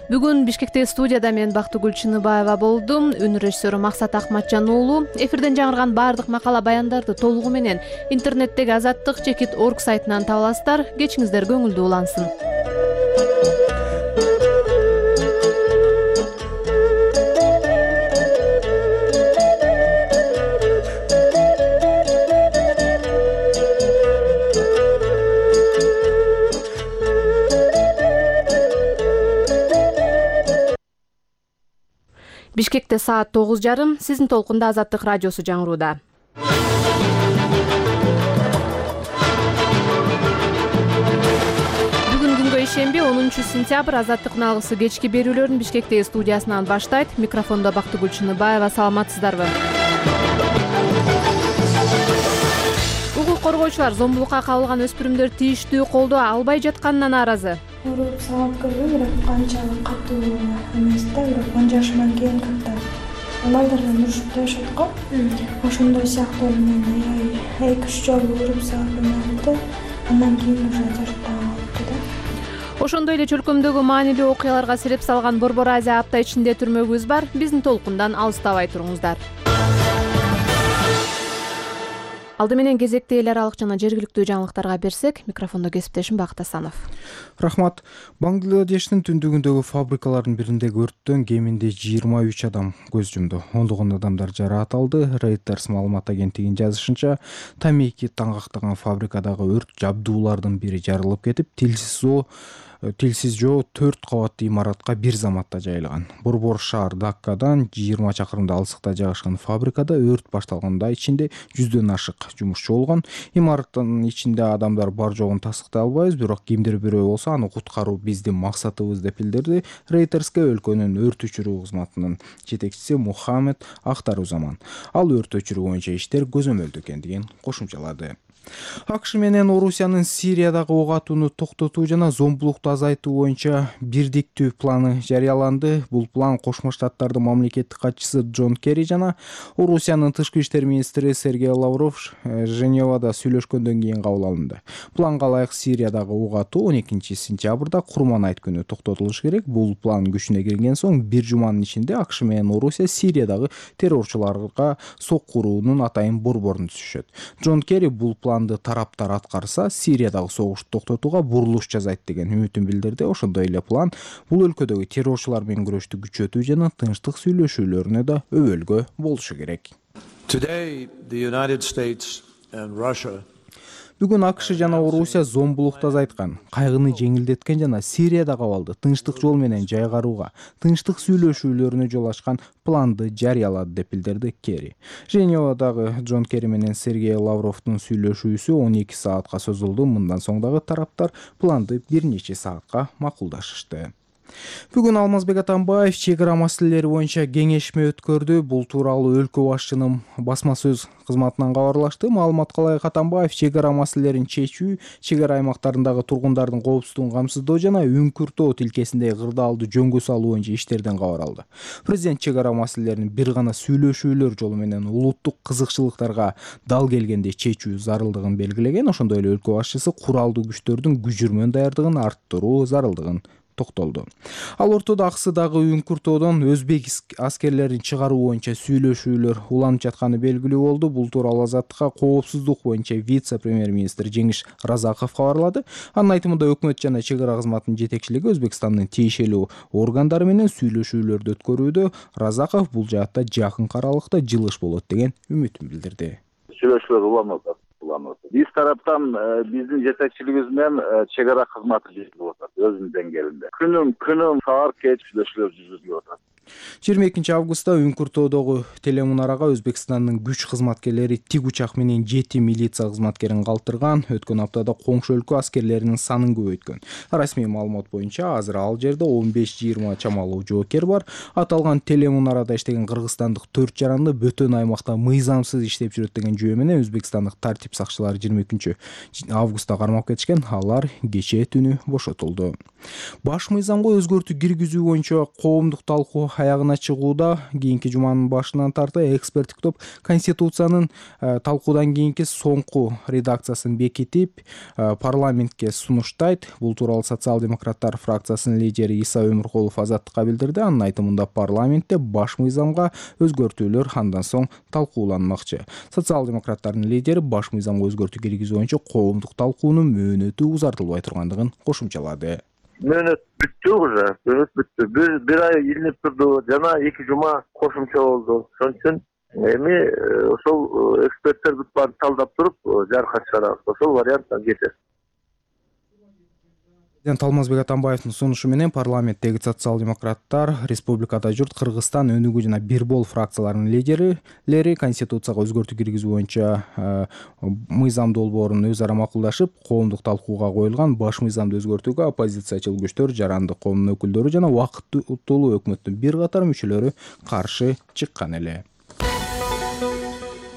Бүгүн Бишкектеги студияда мен Бактыгүл Чыныбаева болдум. Үн режиссеру Максат Акматжан уулу. Эфирден жаңырган баардык макала баяндарды толугу менен интернеттеги азаттык чекит орг сайтынан таба аласыздар. Кечиңиздер көңүлдүү улансын. Бишкекте саат тогуз жарым, сиздин толкунда Азаттык радиосу жаңырууда. Бүгүн күнгө ишемби онунчу сентябрь Азаттык үналгысы кечки берүүлөрүн Бишкектеги студиясынан баштайт. Микрофондо Бактыгүл Чыныбаева, саламатсыздарбы? Укук коргоочулар зомбулукка кабылган өспүрүмдөр тийиштүү колдоо албай жатканына нааразы. Уруп салат көрбөй, бирок канчалык катуу эмес да, бирок он жашыман кийин как-то балдардан урушуп жашат го. Ошондой сыяктуу менен эки үч жолу уруп салып да, андан кийин уже жарыктап алыптыр да. Ошондой эле чөлкөмдөгү маанилүү окуяларга себеп салган Борбор Азия апта ичинде түрмөгүбүз бар. Биздин толкундан алыстабай туруңуздар. Алды менен кезекте эл аралык жана жергиликтүү жаңылыктарга берсек, микрофондо кесиптешим Бакыт Асанов. Рахмат. Бангладештин түндүгүндөгү фабрикалардын бириндеги өрттөн кеминде жыйырма үч адам көз жумду. Ондогон адамдар жараат алды. Reuters маалымат агенттигинин жазышынча, тамеки таңгактаган фабрикадагы өрт жабдуулардын бири жарылып кетип, тилсиз жоо Тилсиз жоо төрт кабаттуу имаратка бир заматта жайылган. Борбор шаар Даккадан жыйырма чакырымда алыстыкта жайгашкан фабрикада өрт башталганда ичинде жүздөн ашык жумушчу болгон. Имараттын ичинде адамдар бар жогун тастыктай албайбыз, бирок кимдир бирөө болсо аны куткаруу биздин максатыбыз деп билдирди Reuters'ке өлкөнүн өрт өчүрүү кызматынын жетекчиси Мухаммед Ахтарузаман. Ал өрт өчүрүү боюнча иштер көзөмөлдө экендигин кошумчалады. АКШ менен Орусиянын Сириядагы ок атууну токтотуу жана зомбулукту азайтуу боюнча бирдиктүү планы жарыяланды. Бул план Кошмо Штаттардын мамлекеттик катчысы Джон Керри жана Орусиянын тышкы иштер министри Сергей Лавров Женевада сүйлөшкөндөн кийин кабыл алынды. Планга ылайык Сириядагы ок атуу он экинчи сентябрда Курман айт күнү токтотулушу керек. Бул план күчүнө кирген соң бир жуманын ичинде АКШ менен Орусия Сириядагы террорчуларга соккуруунун атайын борборун түзүшөт. Джон Керри бул планды тараптар аткарса, Сириядагы согушту токтотууга бурулуш жасайт деген үмүтүн билдирди. Ошондой эле план бул өлкөдөгү террорчулар менен күрөштү күчөтүү жана тынчтык сүйлөшүүлөрүнө да өбөлгө болушу керек. Today, the United States and Russia Бүгүн АКШ жана Орусия зомбулукту азайткан, кайгыны жеңилдеткен жана Сириядагы абалды тынчтык жол менен жайгарууга, тынчтык сүйлөшүүлөрүнө жол ачкан планды жарыялады деп билдирди Керри. Женевадагы Джон Керри менен Сергей Лавровдун сүйлөшүүсү он эки саатка созулду. Мындан соң дагы тараптар планды бир нече саатка макулдашышты. Бүгүн Алмазбек Атамбаев чек ара маселелери боюнча кеңешме өткөрдү. Бул тууралуу өлкө башчынын басма сөз кызматынан кабарлашты. Маалыматка ылайык Атамбаев чек ара маселелерин чечүү, чек ара аймактарындагы тургундардын коопсуздугун камсыздоо жана Үңкүртөө тилкесиндеги кырдаалды жөнгө салуу боюнча иштерден кабар алды. Президент чек ара маселелерин бир гана сүйлөшүүлөр жолу менен улуттук кызыкчылыктарга дал келгенде чечүү зарылдыгын белгилеген. Ошондой эле өлкө башчысы куралдуу күчтөрдүн күжүрмөн даярдыгын арттыруу зарылдыгын токтолду. Ал ортодо Аксыдагы Үңкүртөөдөн өзбек аскерлерин чыгаруу боюнча сүйлөшүүлөр уланып жатканы белгилүү болду. Бул тууралуу Азаттыкка коопсуздук боюнча вице-премьер-министр Жеңиш Разаков кабарлады. Анын айтымында өкмөт жана чек ара кызматынын жетекчилиги Өзбекстандын тийиштүү органдары менен сүйлөшүүлөрдү өткөрүүдө. Разаков бул жаатта жакынкы аралыкта жылыш болот деген үмүтүн билдирди. Сүйлөшүүлөр уланып атат. Биз тараптан биздин жетекчилигибиз менен чек ара кызматы жүргүзүлүп атат өзүнүн деңгээлинде. Күнүм күнүм саар кеч сүйлөшүүлөр жүргүзүлүп атат. жыйырма экинчи августта Үңкүртөдөгү телемунарага Өзбекстандын күч кызматкерлери тик учак менен жети милиция кызматкерин калтырган. Өткөн аптада коңшу өлкө аскерлеринин санын көбөйткөн. Расмий маалымат боюнча азыр ал жерде он беш жыйырма чамалуу жоокер бар. Аталган телемунарада иштеген кыргызстандык төрт жаранды бөтөн аймакта мыйзамсыз иштеп жүрөт деген жүйө менен өзбекстандык тартип сакчылары жыйырма экинчи августта кармап кетишкен. Алар кечээ түнү бошотулду. Баш мыйзамга өзгөртүү киргизүү боюнча коомдук талкуу аягына чыгууда. Кийинки жуманын башынан тарта эксперттик топ Конституциянын талкуудан кийинки соңку редакциясын бекитип парламентке сунуштайт. Бул тууралуу социал-демократтар фракциясынын лидери Иса Өмүркулов Азаттыкка билдирди. Анын айтымында парламентте баш мыйзамга өзгөртүүлөр андан соң талкууланмакчы. Социал-демократтардын лидери баш мыйзамга өзгөртүү киргизүү боюнча коомдук талкуунун мөөнөтү узартылбай тургандыгын кошумчалады. Мөөнөт бүттү уже, мөөнөт бүттү. Бир бир ай илинип турду, жана эки жума кошумча болду. Ошон үчүн эми ошол эксперттерди барып талдап туруп жарыка чыгарабыз. Ошол варианттан кетет. Президент Алмазбек Атамбаевдин сунушу менен парламенттеги социал-демократтар, республикада журт, Кыргызстан, Өнүгүү жана Бирбол фракцияларынын лидерлери Конституцияга өзгөртүү киргизүү боюнча мыйзам долбоорун өз ара макулдашып, коомдук талкууга коюлган баш мыйзамды өзгөртүүгө оппозициячыл күчтөр, жарандык коомдун өкүлдөрү жана убактылуу өкмөттүн бир катар мүчөлөрү каршы чыккан эле.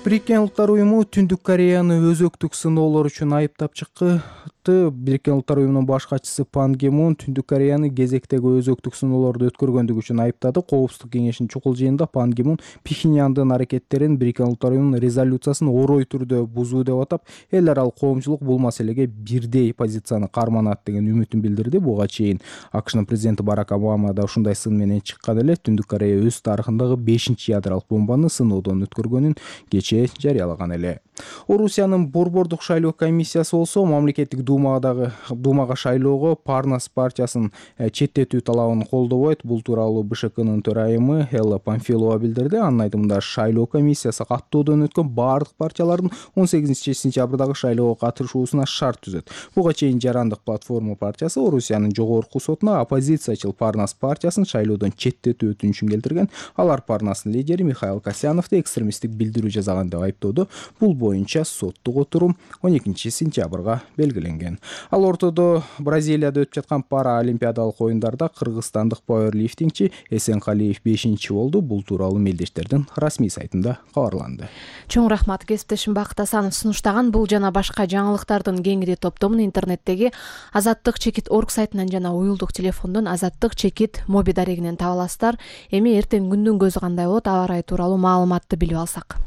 Бириккен Улуттар уюму Түндүк Кореяны өзөктүк сыноолор үчүн айыптап чыкты. Бириккен Улуттар уюмунун баш катчысы Пан Ги Мун Түндүк Кореяны кезектеги өзөктүк сыноолорду өткөргөндүгү үчүн айыптады. Коопсуздук кеңешинин чукул жыйынында Пан Ги Мун Пхеньяндын аракеттерин Бириккен Улуттар уюмунун резолюциясын орой түрдө бузуу деп атап, эл аралык коомчулук бул маселеге бирдей позицияны карманат деген үмүтүн билдирди. Буга чейин АКШнын президенти Барак Обама да ушундай сын менен чыккан эле. Түндүк Корея өз тарыхындагы бешинчи ядролук бомбаны сыноодон өткөргөнүн кечээ жарыялаган эле. Орусиянын борбордук шайлоо комиссиясы болсо мамлекеттик думадагы думага шайлоого Парнас партиясын четтетүү талабын колдобойт. Бул тууралуу БШКнын төрайымы Элла Памфилова билдирди. Анын айтымында шайлоо комиссиясы каттоодон өткөн бардык партиялардын он сегизинчи сентябрдагы шайлоого катышуусуна шарт түзөт. Буга чейин Жарандык платформа партиясы Орусиянын жогорку сотуна оппозициячыл Парнас партиясын шайлоодон четтетүү өтүнүчүн келтирген. Алар Парнастын лидери Михаил Касьяновду экстремисттик билдирүү жасаган деп айыптоодо. Бул боюнча соттук отурум он экинчи сентябрга белгиленген. Ал ортодо Бразилияда өтүп жаткан пара олимпиадалык оюндарда кыргызстандык пауэрлифтингчи Эсенкалиев бешинчи болду. Бул тууралуу мелдештердин расмий сайтында кабарланды. Чоң рахмат, кесиптешим Бакыт Асанов сунуштаган бул жана башка жаңылыктардын кеңири топтомун интернеттеги азаттык чекит орг сайтынан жана уюлдук телефондон азаттык чекит моби дарегинен таба аласыздар. Эми эртең күндүн көзү кандай болот, аба ырайы тууралуу маалыматты билип алсак.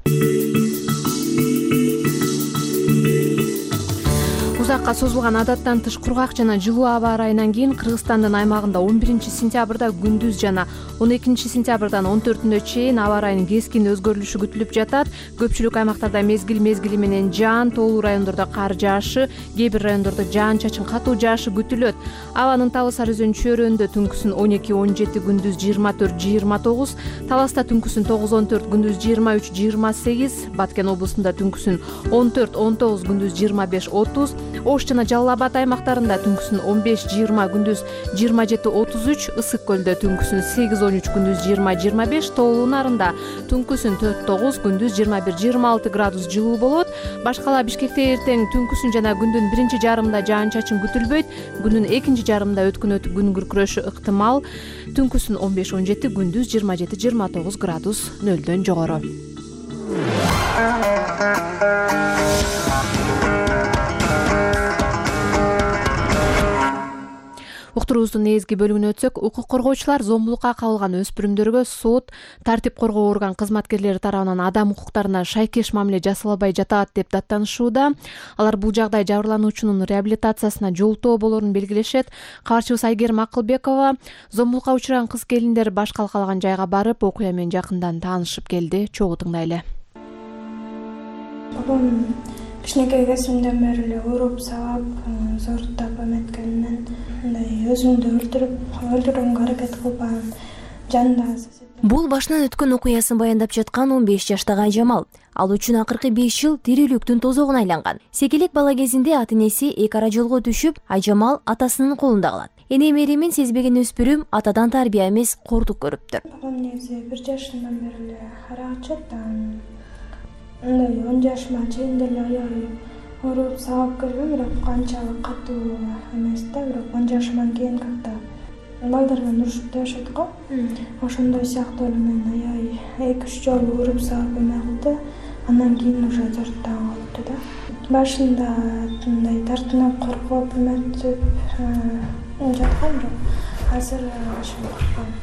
Узакка созулган адаттан тыш кургак жана жылуу аба ырайынан кийин Кыргызстандын аймагында он биринчи сентябрда күндүз жана он экинчи сентябрдан он төртүнө чейин аба ырайынын кескин өзгөрүлүшү күтүлүп жатат. Көпчүлүк аймактарда мезгил мезгили менен жаан, тоолуу райондордо кар жаашы, кээ бир райондордо жаан-чачын катуу жаашы күтүлөт. Абанын табы Сары Өзөн чөйрөсүндө түнкүсүн он эки он жети, күндүз жыйырма төрт жыйырма тогуз, Таласта түнкүсүн тогуз он төрт, күндүз жыйырма үч жыйырма сегиз, Баткен облусунда түнкүсүн он төрт он тогуз, күндүз жыйырма беш отуз, Ош жана Жалал Абад аймактарында түнкүсүн он беш жыйырма, күндүз жыйырма жети отуз үч, Ысык көлдө түнкүсүн сегиз он үч, күндүз жыйырма жыйырма беш, Тоолуу Нарында түнкүсүн төрт тогуз, күндүз жыйырма бир жыйырма алты градус жылуу болот. Башкала Бишкекте эртең түнкүсүн жана күндүн биринчи жарымында жаан-чачын күтүлбөйт. Күндүн экинчи жарымында өткөн өтүп күн күркүрөшү ыктымал. Түнкүсүн он беш он жети, күндүз жыйырма жети жыйырма тогуз градус нөлдөн жогору. Уктуруубуздун негизги бөлүгүнө өтсөк, укук коргоочулар зомбулукка кабылган өспүрүмдөргө сот, тартип коргоо орган кызматкерлери тарабынан адам укуктарына шайкеш мамиле жасалбай жатат деп даттанышууда. Алар бул жагдай жабырлануучунун реабилитациясына жолтоо болорун белгилешет. Кабарчыбыз Айгерим Акылбекова зомбулукка учураган кыз келиндер баш калкалаган жайга барып, окуя менен жакындан таанышып келди. Чогуу тыңдайлы. Бабам кичинекей кезимден бери эле уруп, сабап, зооруктап эметкенинен мындай өзүмдү өлтүрүп, өлтүрүүгө аракет кылбаган жанда. Бул башынан өткөн окуясын баяндап жаткан он беш жаштагы Айжамал. Ал үчүн акыркы беш жыл тирүүлүктүн тозогуна айланган. Секелек бала кезинде ата энеси эки ара жолго түшүп, Айжамал атасынын колунда калат. эне меремин сезбеген өспүрүм атадан тарбия эмес кордук көрүптүр. Багам негизи бир жашымдан бери эле арак ичет, мындай он жашыма чейин деле аябай ооруп сабап келгем, бирок канчалык катуу эмес да, бирок он жашымдан кийин как-то балдар менен урушуп да жашадык го. Ошондой сыяктуу эле мен аябай эки үч жолу уруп сабап эме кылды. Андан кийин уже жорттан калыптыр да. Башында мындай тартынып, коркуп, эметип жаткам, бирок азыр ошо коркпойм.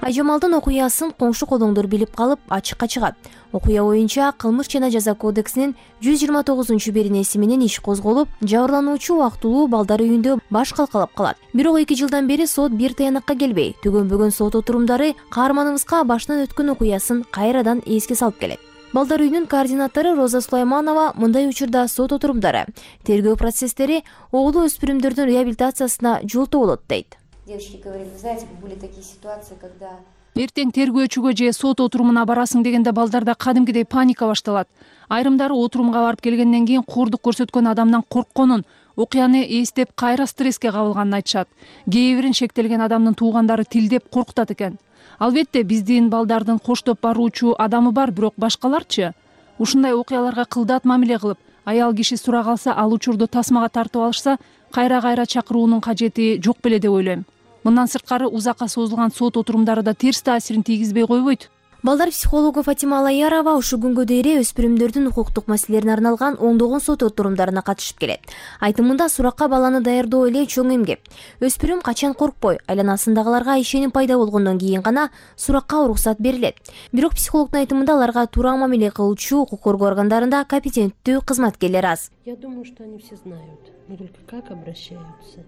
Айжамалдын окуясын коңшу колоңдор билип калып ачыкка чыгат. Окуя боюнча Кылмыш жана жаза кодексинин жүз жыйырма тогузунчу беренеси менен иш козголуп, жабырлануучу убактылуу балдар үйүндө баш калкалап калат. Бирок эки жылдан бери сот бир таянакка келбей, төгөнбөгөн сот отурумдары каарманыбызга башынан өткөн окуясын кайрадан эске салып келет. Балдар үйүнүн координатору Роза Сулайманова мындай учурда сот отурумдары, тергөө процесстери оолу өспүрүмдөрдүн реабилитациясына жолтоо болот дейт. Девочки говорили, вы знаете, были такие ситуации, когда Эртең тергөөчүгө же сот отурумуна барасың дегенде балдарда кадимкидей паника башталат. Айрымдары отурумга барып келгенден кийин кордук көрсөткөн адамдан коркконун, окуяны эстеп кайра стресске кабылганын айтышат. Кээ бирин шектелген адамдын туугандары тилдеп коркутат экен. Албетте биздин балдардын коштоп баруучу адамы бар, бирок башкаларчы? Ушундай окуяларга кылдат мамиле кылып, аял киши сурак алса, ал учурду тасмага тартып алышса, кайра-кайра чакыруунун кажети жок беле деп ойлойм. Мындан сырткары узакка созулган сот отурумдары да терс таасирин тийгизбей койбойт. Балдар психологу Фатима Алаярова ушул күнгө дейре өспүрүмдөрдүн укуктук маселелерине арналган ондогон сот отурумдарына катышып келет. Айтымында суракка баланы даярдоо эле чоң эмгек. Өспүрүм качан коркпой, айланасындагыларга ишеним пайда болгондон кийин гана суракка уруксат берилет. Бирок психологдун айтымында аларга туура мамиле кылуучу укук коргоо органдарында компетенттүү кызматкерлер аз. Я думаю, что они все знают, но только как обращаются.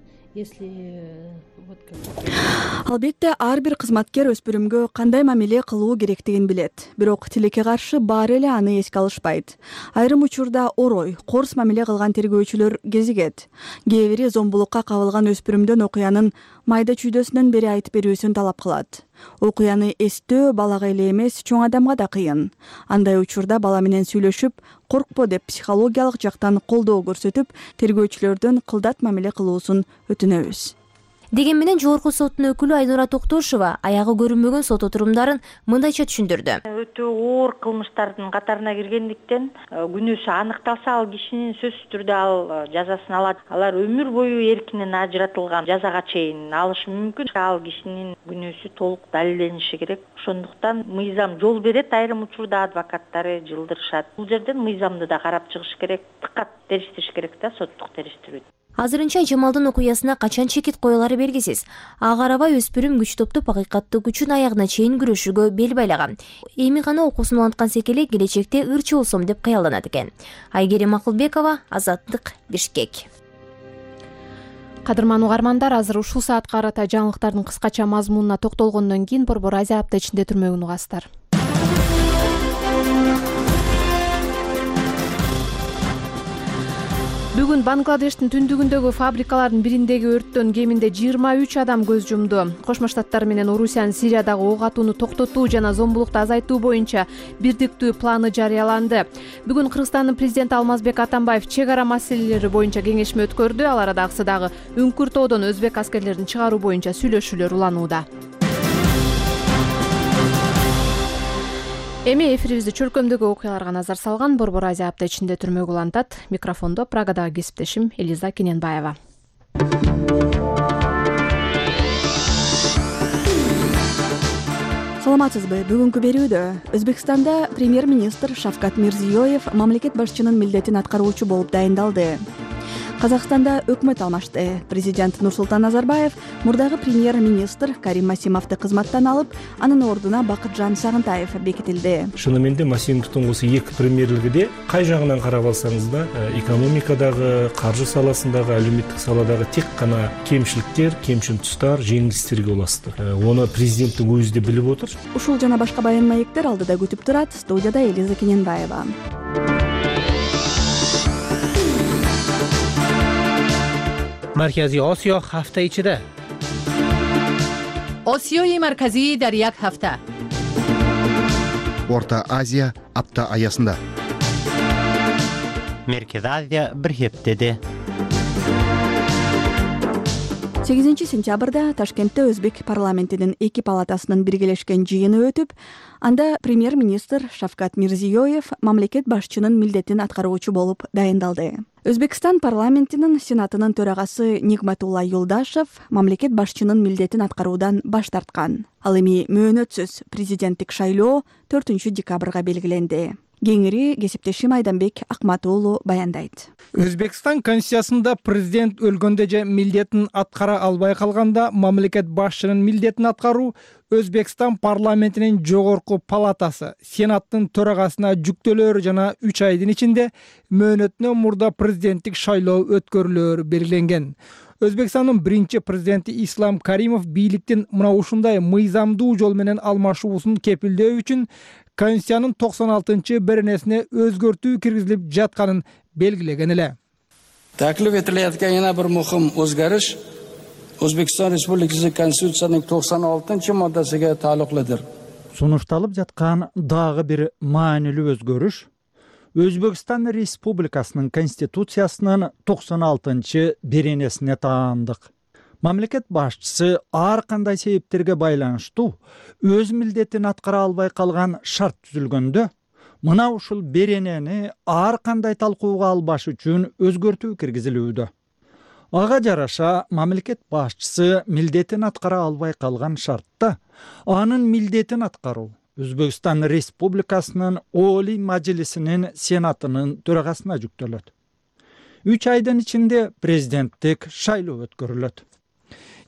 Албетте ар бир кызматкер өспүрүмгө кандай мамиле кылуу керектигин билет. Бирок тилекке каршы баары эле аны эске алышпайт. Айрым учурда орой, корс мамиле кылган тергөөчүлөр кезигет. Кээ бири зомбулукка кабылган өспүрүмдөн окуянын майда чүйдөсүнөн бери айтып берүүсүн талап кылат. Окуяны эстөө балага эле эмес, чоң адамга да кыйын. Андай учурда бала менен сүйлөшүп, коркпо деп психологиялык жактан колдоо көрсөтүп, тергөөчүлөрдөн кылдат мамиле кылуусун өтүнөбүз. Деген менен жогорку соттун өкүлү Айнура Токтошова аягы көрүнбөгөн сот отурумдарын мындайча түшүндүрдү. Өтө оор кылмыштардын катарына киргендиктен күнөөсү аныкталса, ал кишинин сөзсүз түрдө ал жазасын алат. Алар өмүр бою эркинен ажыратылган жазага чейин алышы мүмкүн. Ал кишинин күнөөсү толук далилдениши керек. Ошондуктан мыйзам жол берет, айрым учурда адвокаттары жылдырышат. Бул жерден мыйзамды да карап чыгыш керек, дыккат териштириш керек да соттук териштирүү. Азырынча Жамалдын окуясына качан чекит коюлары белгисиз. Ага карабай өспүрүм күч топтоп акыйкаттык үчүн аягына чейин күрөшүүгө бел байлаган. Эми гана окуусун уланткан секелек келечекте ырчы болсом деп кыялданат экен. Айгерим Акылбекова, Азаттык, Бишкек. Кадырман угармандар, азыр ушул саатка карата жаңылыктардын кыскача мазмунуна токтолгондон кийин Борбор Азия апта ичинде түрмөгүн угасыздар. Бүгүн Бангладештин түндүгүндөгү фабрикалардын бириндеги өрттөн кеминде жыйырма үч адам көз жумду. Кошмо Штаттар менен Орусиянын Сириядагы ок атууну токтотуу жана зомбулукту азайтуу боюнча бирдиктүү планы жарыяланды. Бүгүн Кыргызстандын президенти Алмазбек Атамбаев чек ара маселелери боюнча кеңешме өткөрдү. Ал арада аксыдагы Үңкүр тоодон өзбек аскерлерин чыгаруу боюнча сүйлөшүүлөр уланууда. Эми эфирибизди чөлкөмдөгү окуяларга назар салган Борбор Азия апта ичинде түрмөгү улантат. Микрофондо Прагадагы кесиптешим Элиза Кененбаева. Саламатсызбы? Бүгүнкү берүүдө Өзбекстанда премьер-министр Шавкат Мирзиёев мамлекет башчынын милдетин аткаруучу болуп дайындалды. Казакстанда өкмөт алмашты. Президент Нурсултан Назарбаев мурдагы премьер-министр Карим Масимовду кызматтан алып, анын ордуна Бакытжан Сагынтаев бекитилди. Шынымен де Масимовдун осы эки премьерлигиде кай жагынан карап алсаңыз да, экономикадагы, каржы саласындагы, әлеуметтик саладагы тек гана кемчиликтер, кемчил тустар, жеңилистерге уласты. Оны президенттин өзү да билип отур. Ушул жана башка баян маектер алдыда күтүп турат. Студияда Элиза Кененбаева. مرکزی آسیا هفته ichida. آسیای مرکزی در یک هفته. Орта Азия апта аясында. Merkez Азия bir heftede. сегизинчи сентябрда Ташкентте Өзбек парламентинин эки палатасынын биргелешкен жыйыны өтүп, анда премьер-министр Шавкат Мирзиёев мамлекет башчынын милдетин аткаруучу болуп дайындалды. Өзбекстан парламентинин сенатынын төрагасы Нигматулла Юлдашев мамлекет башчынын милдетин аткаруудан баш тарткан. Ал эми мөөнөтсүз президенттик шайлоо төртүнчү декабрга белгиленди. Кеңири кесиптешим Айданбек Акматуулу баяндайт. Өзбекстан конституциясында президент өлгөндө же милдетин аткара албай калганда мамлекет башчынын милдетин аткаруу Өзбекстан парламентинин жогорку палатасы сенаттын төрагасына жүктөлөөрү жана үч айдын ичинде мөөнөтүнөн мурда президенттик шайлоо өткөрүлөөрү белгиленген. Өзбекстандын биринчи президенти Ислам Каримов бийликтин мына ушундай мыйзамдуу жол менен алмашуусун кепилдөө үчүн Конституциянын токсон алтынчы беренесине өзгөртүү киргизилип жатканын белгилеген эле. Taklif etilayotgan yana bir muhim o'zgarish O'zbekiston Respublikasi Konstitutsiyasining tokson oltinchi moddasiga taalluqlidir. Сунушталып жаткан дагы бир маанилүү өзгөрүш Өзбекстан Республикасынын Конституциясынын токсон алтынчы беренесине таандык. Мамлекет башчысы ар кандай себептерге байланыштуу өз милдетин аткара албай калган шарт түзүлгөндө, мына ушул беренени ар кандай талкууга албаш үчүн өзгөртүү киргизилүүдө. Ага жараша мамлекет башчысы милдетин аткара албай калган шартта анын милдетин аткаруу Өзбекстан Республикасынын Олий Мажлисинин Сенатынын төрагасына жүктөлөт. үч айдын ичинде президенттик шайлоо өткөрүлөт.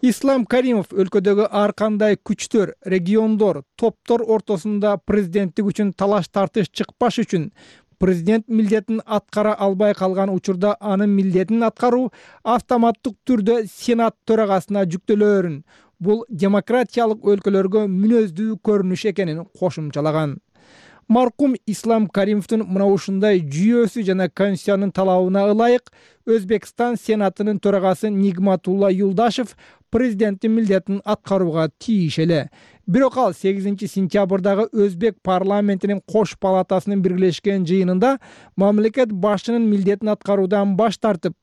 Ислам Каримов өлкөдөгү ар кандай күчтөр, региондор, топтор ортосунда президенттик үчүн талаш тартыш чыкпаш үчүн президент милдетин аткара албай калган учурда анын милдетин аткаруу автоматтык түрдө Сенат төрагасына жүктөлөөрүн, бул демократиялык өлкөлөргө мүнөздүү көрүнүш экенин кошумчалаган. Маркум Ислам Каримовдун мына ушундай жүйөсү жана Конституциянын талабына ылайык Өзбекстан Сенатынын төрагасы Нигматулла Юлдашев президенттин милдетин аткарууга тийиш эле. Бирок ал сегизинчи сентябрдагы Өзбек парламентинин кош палатасынын биргелешкен жыйынында мамлекет башчынын милдетин аткаруудан баш тартып,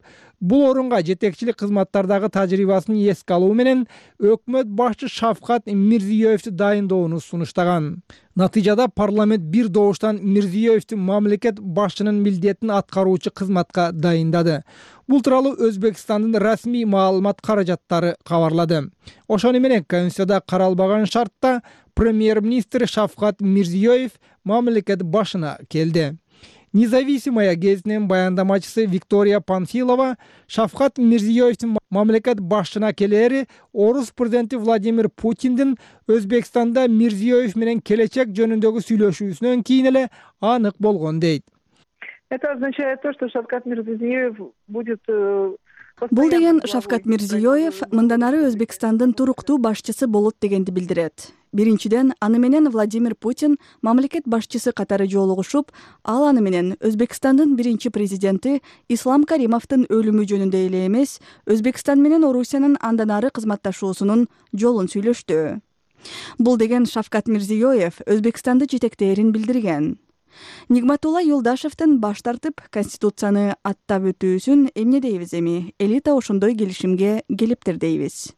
бул орунга жетекчилик кызматтардагы тажрыйбасын эске алуу менен өкмөт башчы Шавкат Мирзиёевди дайындоону сунуштаган. Натыйжада парламент бир добуштан Мирзиёевди мамлекет башчынын милдетин аткаруучу кызматка дайындады. Бул тууралуу Өзбекстандын расмий маалымат каражаттары кабарлады. Ошону менен Конституцияда каралбаган шартта премьер-министр Шавкат Мирзиёев мамлекет башына келди. Независимая гезитинин баяндамачысы Виктория Панфилова Шавкат Мирзиёевдин мамлекет башчына келери орус президенти Владимир Путиндин Өзбекстанда Мирзиёев менен келечек жөнүндөгү сүйлөшүүсүнөн кийин эле анык болгон дейт. Это означает то, что Шавкат Мирзиёев будет... Бул деген Шавкат Мирзиёев мындан ары Өзбекстандын туруктуу башчысы болот дегенди билдирет. Биринчиден, аны менен Владимир Путин мамлекет башчысы катары жолугушуп, ал аны менен Өзбекстандын биринчи президенти Ислам Каримовдун өлүмү жөнүндө эле эмес, Өзбекстан менен Орусиянын андан ары кызматташуусунун жолун сүйлөштү. Бул деген Шавкат Мирзиёев Өзбекстанды жетектээрин билдирген. Нигматулла Юлдашевдин баш тартып Конституцияны аттап өтүүсүн эмне дейбиз эми? Элита ошондой келишимге келиптир дейбиз.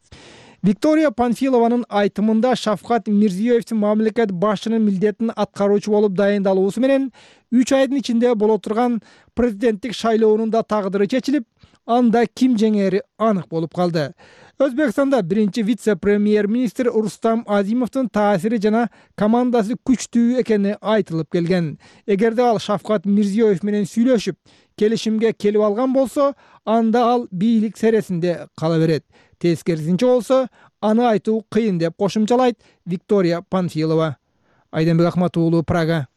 Виктория Панфилованын айтымында Шавкат Мирзиёевдин мамлекет башчынын милдетин аткаруучу болуп дайындалуусу менен үч айдын ичинде боло турган президенттик шайлоонун да тагдыры чечилип, анда ким жеңери анык болуп калды. Өзбекстанда биринчи вице-премьер-министр Рустам Азимовдун таасири жана командасы күчтүү экени айтылып келген. Эгерде ал Шавкат Мирзиёев менен сүйлөшүп, келишимге келип алган болсо, анда ал бийлик сересинде кала берет. Тескерисинче болсо, аны айтуу кыйын деп кошумчалайт Виктория Панфилова. Айданбек Акматуулу, Прага.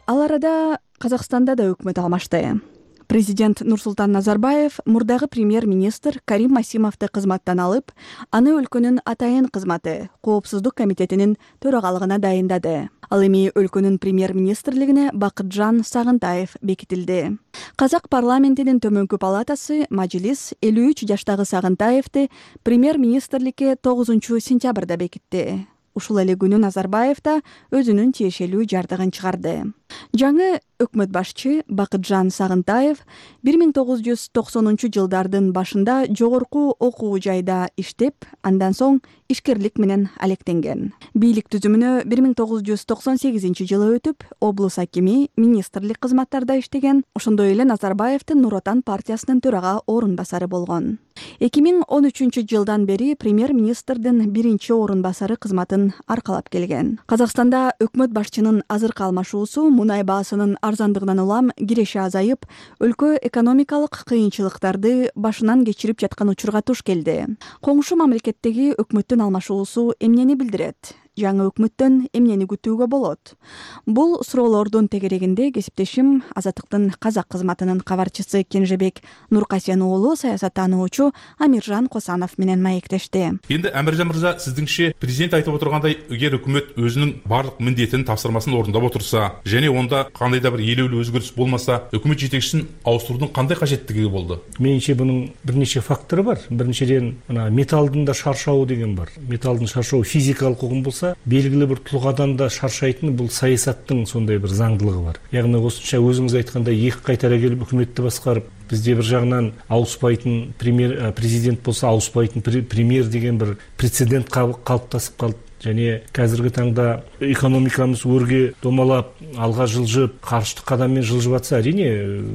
Ал арада Казакстанда да өкмөт алмашты. Президент Нурсултан Назарбаев мурдагы премьер-министр Карим Масимовду кызматтан алып, аны өлкөнүн атайын кызматы Коопсуздук комитетинин төрагалыгына дайындады. Ал эми өлкөнүн премьер-министрлигине Бакытжан Сагынтаев бекитилди. Казак парламентинин төмөнкү палатасы Мажлис элүү үч жаштагы Сагынтаевди премьер-министрликке тогузунчу сентябрда бекитти. Ушул эле күнү Назарбаев да өзүнүн тиешелүү жардыгын чыгарды. жаңы өкмөт башчы Бакытжан Сагынтаев бир миң тогуз жүз токсонунчу жылдардын башында жогорку окуу жайда иштеп, андан соң ишкерлик менен алектенген. Бийлик түзүмүнө бир миң тогуз жүз токсон сегизинчи жылы өтүп, облус акими, министрлик кызматтарда иштеген. Ошондой эле Назарбаевдин Нур Отан партиясынын төрага орун басары болгон. эки миң он үчүнчү жылдан бери премьер-министрдин биринчи орун басары кызматын аркалап келген. Казакстанда өкмөт башчынын азыркы алмашуусу мунай баасынын арзандыгынан улам киреши азайып, өлкө экономикалык кыйынчылыктарды башынан кечирип жаткан учурга туш келди. Коңшу мамлекеттеги өкмөттүн алмашуусу эмнени билдирет? Жаңы өкмөттөн эмнени күтүүгө болот? Бул суроолордун тегерегинде кесиптешим Азаттыктын казак кызматынын кабарчысы Кенжебек Нуркасен уулу саясаттануучу Амиржан Косанов менен маектешти. Энди Амиржан мырза, сиздиңче президент айтып отургандай, эгер өкмөт өзүнүн бардык милдетин, тапсырмасын орундап отурса, және онда кандай да бир элеулүү өзгөрүш болмаса, өкмөт жетекчисин ауыстыруудун кандай кажеттиги болду? Менимче бунун бир нече фактору бар. Биринчиден, мына металлдын да шаршауы деген бар. Металлдын шаршауы физикалык угум болса, белгилүү бир тулгадан да шаршайтын бул саясаттын сондай бир заңдылыгы бар. Ягны осунча өзүңүз айткандай эки кайтара келип өкмөттү башкарып, бизде бир жагынан ауыспайтын премьер президент болсо ауыспайтын премьер деген бир прецедент калыптасып калды. Және қазіргі таңда экономикамыз өрге домалап, алға жылжып, қарышты қадаммен жылжып атса, әрине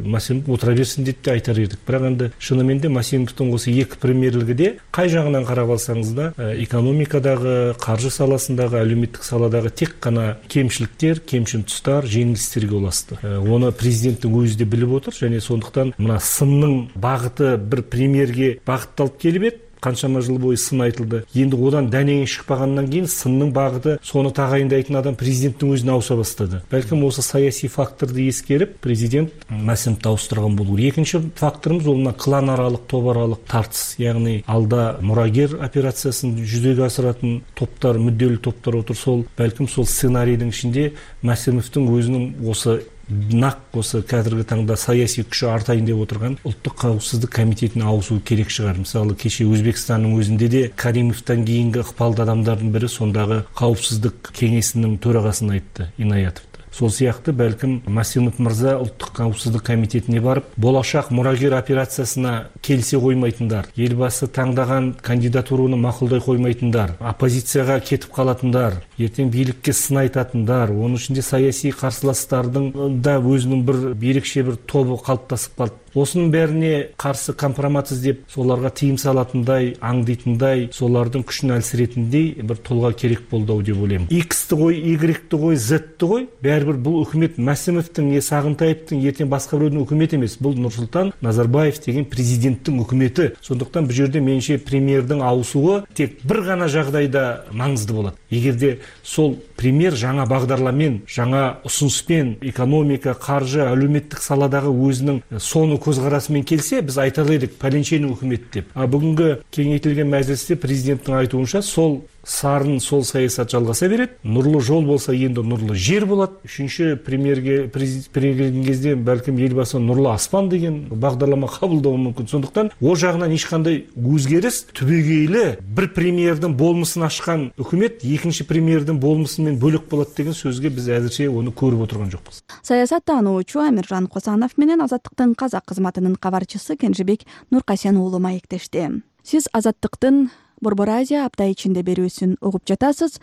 Масимов отыра берсин деп те айтар едік. Бірақ енді шынымен де Масимовтың осы екі премьерлігіде қай жағынан қарап алсаңыз да, экономикадағы, қаржы саласындағы, әлеуметтік саладағы тек қана кемшіліктер, кемшін тұстар, жеңілістерге ұласты. Оны президенттің өзі де біліп отыр, және сондықтан мына сынның бағыты бір премьерге бағытталып келіп еді. Қаншама жыл бойы сын айтылды. Енді одан дәнеңе шықпағаннан кейін сынның бағыты соны тағайындайтын адам президенттің өзіне ауыса бастады. Бәлкім осы саяси факторды ескеріп, президент Масимовты ауыстырған болу. Екінші факторымыз ол мына клан аралық, топ аралық тартыс. Яғни алда мұрагер операциясын жүзеге асыратын топтар, мүдделі топтар отыр. Сол бәлкім сол сценарийдің ішінде Масимовтың өзінің осы нақ осы қазіргі таңда саяси күші артайын деп отырған ұлттық қауіпсіздік комитетіне ауысу керек шығар. Мысалы, кеше Өзбекстанның өзінде де Каримовтан кейінгі ықпалды адамдардың бірі сондағы қауіпсіздік кеңесінің төрағасын айтты, Инаятов. Сол сияқты бәлкім Масимов мырза ұлттық қауіпсіздік комитетіне барып, болашақ мұрагер операциясына келсе қоймайтындар, елбасы таңдаған кандидатураны мақұлдай қоймайтындар, оппозицияға кетіп қалатындар, ертең билікке сын айтатындар, оның ішінде саяси қарсыластардың да өзінің бір ерекше бір тобы қалыптасып қалды. Осының бәріне қарсы компромат іздеп, соларға тыйым салатындай, аңдитындай, солардың күшін әлсіретіндей бір тұлға керек болды ау деп ойлаймын. X-ті қой, Y-ті қой, Z-ті қой, бәрібір бұл үкімет Масимовтың, не Сағынтаевтың, ертең басқа біреудің үкіметі емес. Бұл Нұрсұлтан Назарбаев деген президенттің үкіметі. Сондықтан бұл жерде меніңше премьердің ауысуы тек бір ғана жағдайда маңызды болады. Егерде сол премьер жаңа бағдарламен, жаңа ұсыныспен, экономика, қаржы, әлеуметтік саладағы өзінің соны көзқарасымен келсе, біз айта алайық пәленшенің үкімет деп. А бүгінгі кеңейтілген мәжілісте президенттің айтуынша сол сарын, сол саясат жалғаса береді. Нұрлы жол болса, енді нұрлы жер болады. Үшінші премьерге президент кезде бәлкім елбасы нұрлы аспан деген бағдарлама қабылдауы мүмкін. Сондықтан о жағынан ешқандай өзгеріс түбегейлі бір премьердің болмысын ашқан үкімет екінші премьердің болмысымен бөлек болады деген сөзге біз әзірше оны көріп отырған жоқпыз. Саясаттануучу Амиржан Косанов менен Азаттыктын казак кызматынын кабарчысы Кенжебек Нуркасен уулу маектешти. Сиз Азаттыктын Борбор Азия апта ичинде берүүсүн угуп жатасыз.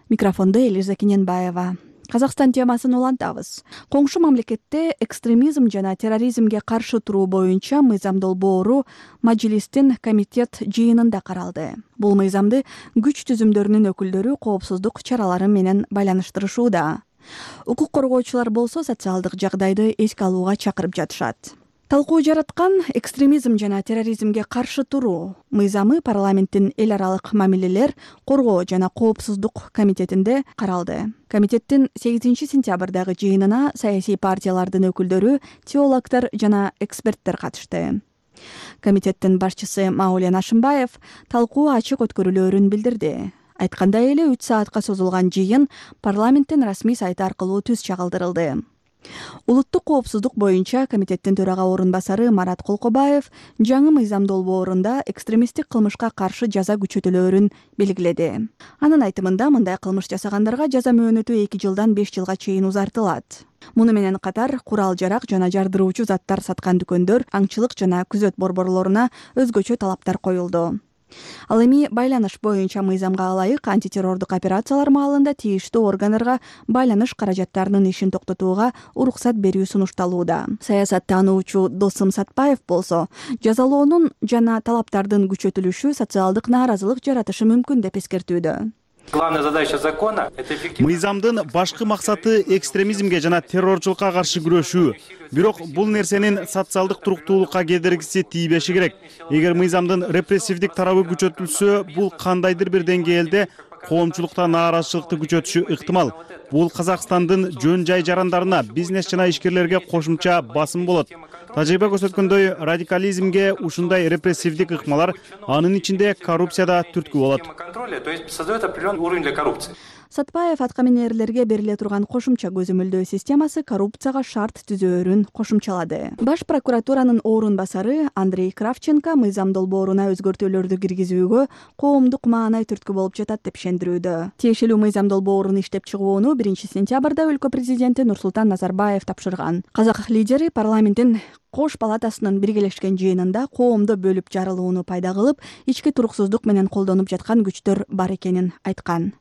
Микрофондо Элиза Кененбаева. Казакстан темасын улантабыз. Коңшу мамлекетте экстремизм жана терроризмге каршы туруу боюнча мыйзам долбоору Мажилистин комитет жыйынында каралды. Бул мыйзамды күч түзүмдөрүнүн өкүлдөрү коопсуздук чаралары менен байланыштырышууда. Укук коргоочулар болсо социалдык жагдайды эске алууга чакырып жатышат. Талкуу жараткан экстремизм жана терроризмге каршы туруу мыйзамы парламенттин эл аралык мамилелер, коргоо жана коопсуздук комитетинде каралды. Комитеттин сегизинчи сентябрдагы жыйынына саясий партиялардын өкүлдөрү, теологдор жана эксперттер катышты. Комитеттин башчысы Маулен Ашимбаев талкуу ачык өткөрүлөөрүн билдирди. Айткандай эле үч саатка созулган жыйын парламенттин расмий сайты аркылуу түз чагылдырылды. Улуттук коопсуздук боюнча комитеттин төрага орун басары Марат Колкобаев жаңы мыйзам долбоорунда экстремисттик кылмышка каршы жаза күчөтүлөөрүн белгиледи. Анын айтымында мындай кылмыш жасагандарга жаза мөөнөтү эки жылдан беш жылга чейин узартылат. Муну менен катар курал-жарак жана жардыруучу заттар саткан дүкөндөр, аңчылык жана күзөт борборлоруна өзгөчө талаптар коюлду. Ал эми байланыш боюнча мыйзамга ылайык антитеррордук операциялар маалында тийиштүү органдарга байланыш каражаттарынын ишин токтотууга уруксат берүү сунушталууда. Саясаттануучу Досым Сатпаев болсо жазалоонун жана талаптардын күчөтүлүшү социалдык нааразылык жаратышы мүмкүн деп эскертүүдө. Главная задача закона – это эффективность. Мыйзамдын башкы максаты экстремизмге жана террорчулукка каршы күрөшүү. Бирок бул нерсенин социалдык туруктуулукка кедергиси тийбеши керек. Эгер мыйзамдын репрессивдик тарабы күчөтүлсө, бул кандайдыр бир деңгээлде коомчулукта нааразычылыкты күчөтүшү ыктымал. Бул Казакстандын жөн жай жарандарына, бизнес жана ишкерлерге кошумча басым болот. Тажрыйба көрсөткөндөй, радикализмге ушундай репрессивдик ыкмалар, анын ичинде коррупция да түрткү болот. То есть создает определенный уровень для коррупции. Сатпаев аткаминерлерге бериле турган кошумча көзөмөлдөө системасы коррупцияга шарт түзөөрүн кошумчалады. Баш прокуратуранын орун басары Андрей Кравченко мыйзам долбооруна өзгөртүүлөрдү киргизүүгө коомдук маанай түрткү болуп жатат деп ишендирүүдө. Тиешелүү мыйзам долбоорун иштеп чыгууну биринчи сентябрда өлкө президенти Нурсултан Назарбаев тапшырган. Казак лидери парламенттин Кош палатасынын биргелешкен жыйынында коомду бөлүп жарылууну пайда кылып, ички туруксуздук менен колдонуп жаткан күчтөр бар экенин айткан.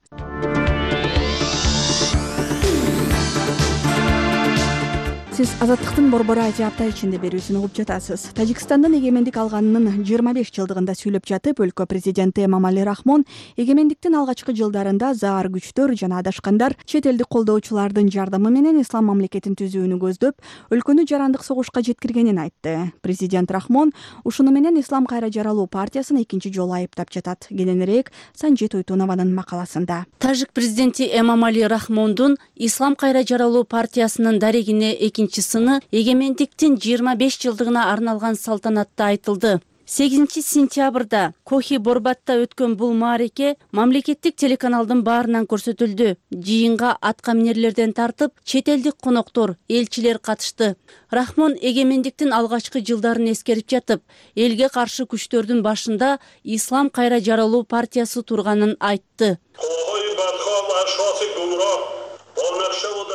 Сиз Азаттыктын Борбор Азия апта ичинде берүүсүн угуп жатасыз. Тажикстандын эгемендик алганынын жыйырма беш жылдыгында сүйлөп жатып, өлкө президенти Эмомали Рахмон эгемендиктин алгачкы жылдарында заар күчтөр жана адашкандар чет элдик колдоочулардын жардамы менен ислам мамлекетин түзүүнү көздөп, өлкөнү жарандык согушка жеткиргенин айтты. Президент Рахмон ушуну менен Ислам кайра жаралуу партиясын экинчи жолу айыптап жатат. Кененирээк Санжи Туйтунованын макаласында. Тажик президенти Эмомали Рахмондун Ислам кайра жаралуу партиясынын дарегине экинчи сыны эгемендиктин жыйырма беш жылдыгына арналган салтанатта айтылды. сегизинчи сентябрда Кохи Борбатта өткөн бул маареке мамлекеттик телеканалдын баарынан көрсөтүлдү. Жыйынга аткаминерлерден тартып, чет элдик коноктор, элчилер катышты. Рахмон эгемендиктин алгачкы жылдарын эскерип жатып, элге каршы күчтөрдүн башында Ислам кайра жаралуу партиясы турганын айтты.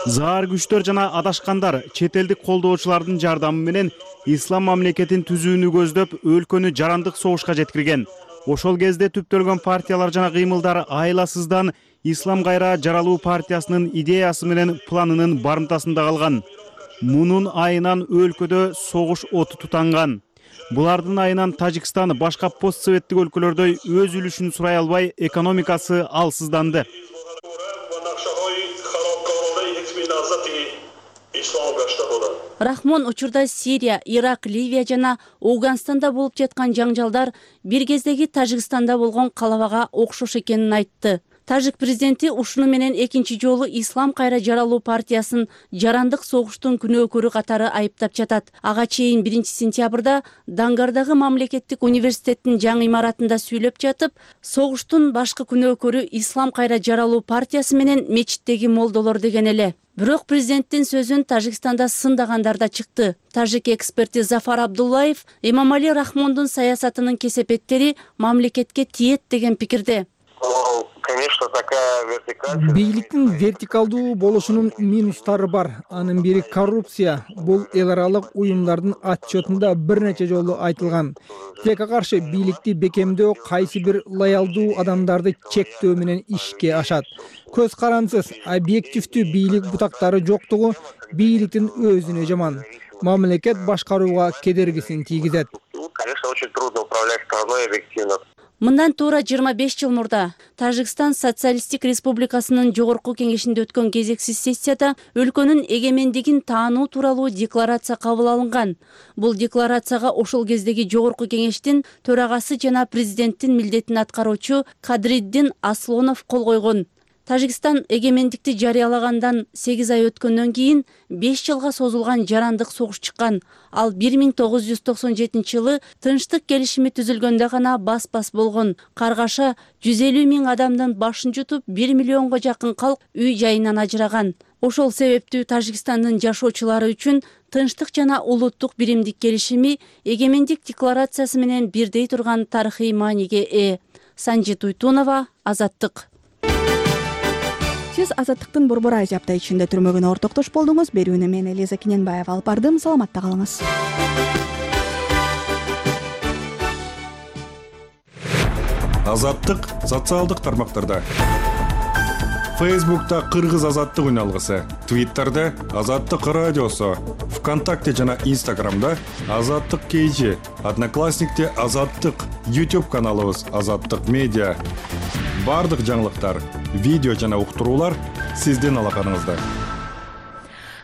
Заар күчтөр жана адашкандар чет элдик колдоочулардын жардамы менен ислам мамлекетин түзүүнү көздөп, өлкөнү жарандык согушка жеткирген. Ошол кезде түптөлгөн партиялар жана кыймылдар айласыздан Ислам кайра жаралуу партиясынын идеясы менен планынын барымтасында калган. Мунун айынан өлкөдө согуш оту тутанган. Булардын айынан Тажикстан башка постсоветтик өлкөлөрдөй өз үлүшүн сурай албай, экономикасы алсызданды. Рахмон учурда Сирия, Ирак, Ливия жана Ауганстанда болуп жаткан жаңжалдар бир кездеги Тажикстанда болгон калабага окшош экенин айтты. Тажик президенти ушуну менен экинчи жолу Ислам кайра жаралуу партиясын жарандык согуштун күнөөкөрү катары айыптап жатат. Ага чейин биринчи сентябрда Дангардагы мамлекеттик университеттин жаңы имаратында сүйлөп жатып, согуштун башкы күнөөкөрү Ислам кайра жаралуу партиясы менен мечиттеги молдолор деген эле. Бирок президенттин сөзүн Тажикстанда сындагандар да чыкты. Тажик эксперти Зафар Абдуллаев Эмомали Рахмондун саясатынын кесепеттери мамлекетке тиет деген пикирде. Конечно, такая вертикаль. Бийликтин вертикалдуу болушунун минустары бар. Анын бири коррупция. Бул эл аралык уюмдардын отчетунда бир нече жолу айтылган. Тилекке каршы бийликти бекемдөө кайсы бир лоялдуу адамдарды чектөө менен ишке ашат. Көз карансыз, объективдүү бийлик бутактары жоктугу бийликтин өзүнө жаман. Мамлекет башкарууга кедергисин тийгизет. Конечно, очень трудно управлять страной объективно. Мындан туура жыйырма беш жыл мурда Тажикстан Социалисттик Республикасынын жогорку кеңешинде өткөн кезексиз сессияда өлкөнүн эгемендигин таануу тууралуу декларация кабыл алынган. Бул декларацияга ошол кездеги жогорку кеңештин төрагасы жана президенттин милдетин аткаруучу Кадриддин Аслонов кол койгон. Тажикстан эгемендикти жарыялагандан сегиз ай өткөндөн кийин беш жылга созулган жарандык согуш чыккан. Ал бир миң тогуз жүз токсон жетинчи жылы тынчтык келишими түзүлгөндө гана бас-бас болгон. Каргаша жүз элүү миң адамдын башын жутуп, бир миллионго жакын калк үй жайынан ажыраган. Ошол себептүү Тажикстандын жашоочулары үчүн тынчтык жана улуттук биримдик келишими эгемендик декларациясы менен бирдей турган тарыхый мааниге ээ. Санжи Туйтунова, Азаттык. сиз Азаттыктын Борбор Азия апта ичинде түрмөгүнө ортоктош болдуңуз. Берүүнү мен Элиза Кененбаева алып бардым. Саламатта калыңыз. Азаттык социалдык тармактарда. Фейсбукта Кыргыз Азаттык үналгысы, Твиттерде Азаттык радиосу, ВКонтакте жана Инстаграмда Азаттык кейжи, Одноклассникте Азаттык, YouTube каналыбыз Азаттык медиа. Бардык жаңылыктар, видео жана уктуруулар сиздин алаканыңызда.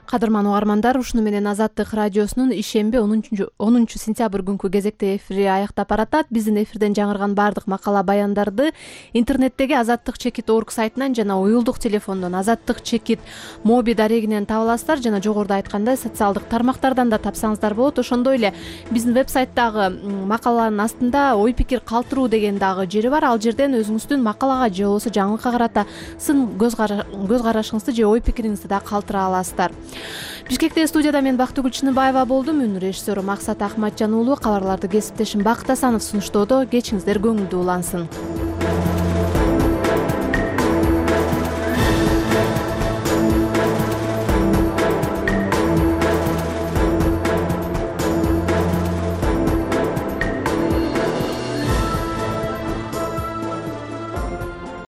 Кадырман угармандар, ушуну менен Азаттык радиосунун ишемби онунчу сентябрь күнкү кезекте эфири аяктап баратат. Биздин эфирден жаңырган бардык макала баяндарды интернеттеги азаттык чекит точка орг сайтынан жана уюлдук телефондон азаттык чекит моби дарегинен таба аласыздар, жана жогоруда айткандай социалдык тармактардан да тапсаңыздар болот. Ошондой эле биздин вебсайттагы макаланын астында ой пикир калтыруу деген дагы жери бар. Ал жерден өзүңүздүн макалага же болбосо жаңылыкка карата сын көз карашыңызды же ой пикириңизди да калтыра аласыздар. Бишкекте студияда мен Бактыгүл Чыныбаева болдум. Үн режиссеру Максат Ахматжан уулу, кабарларды кесиптешим Бакыт Асанов сунуштоодо. Кечиңиздер көңүлдүү улансын.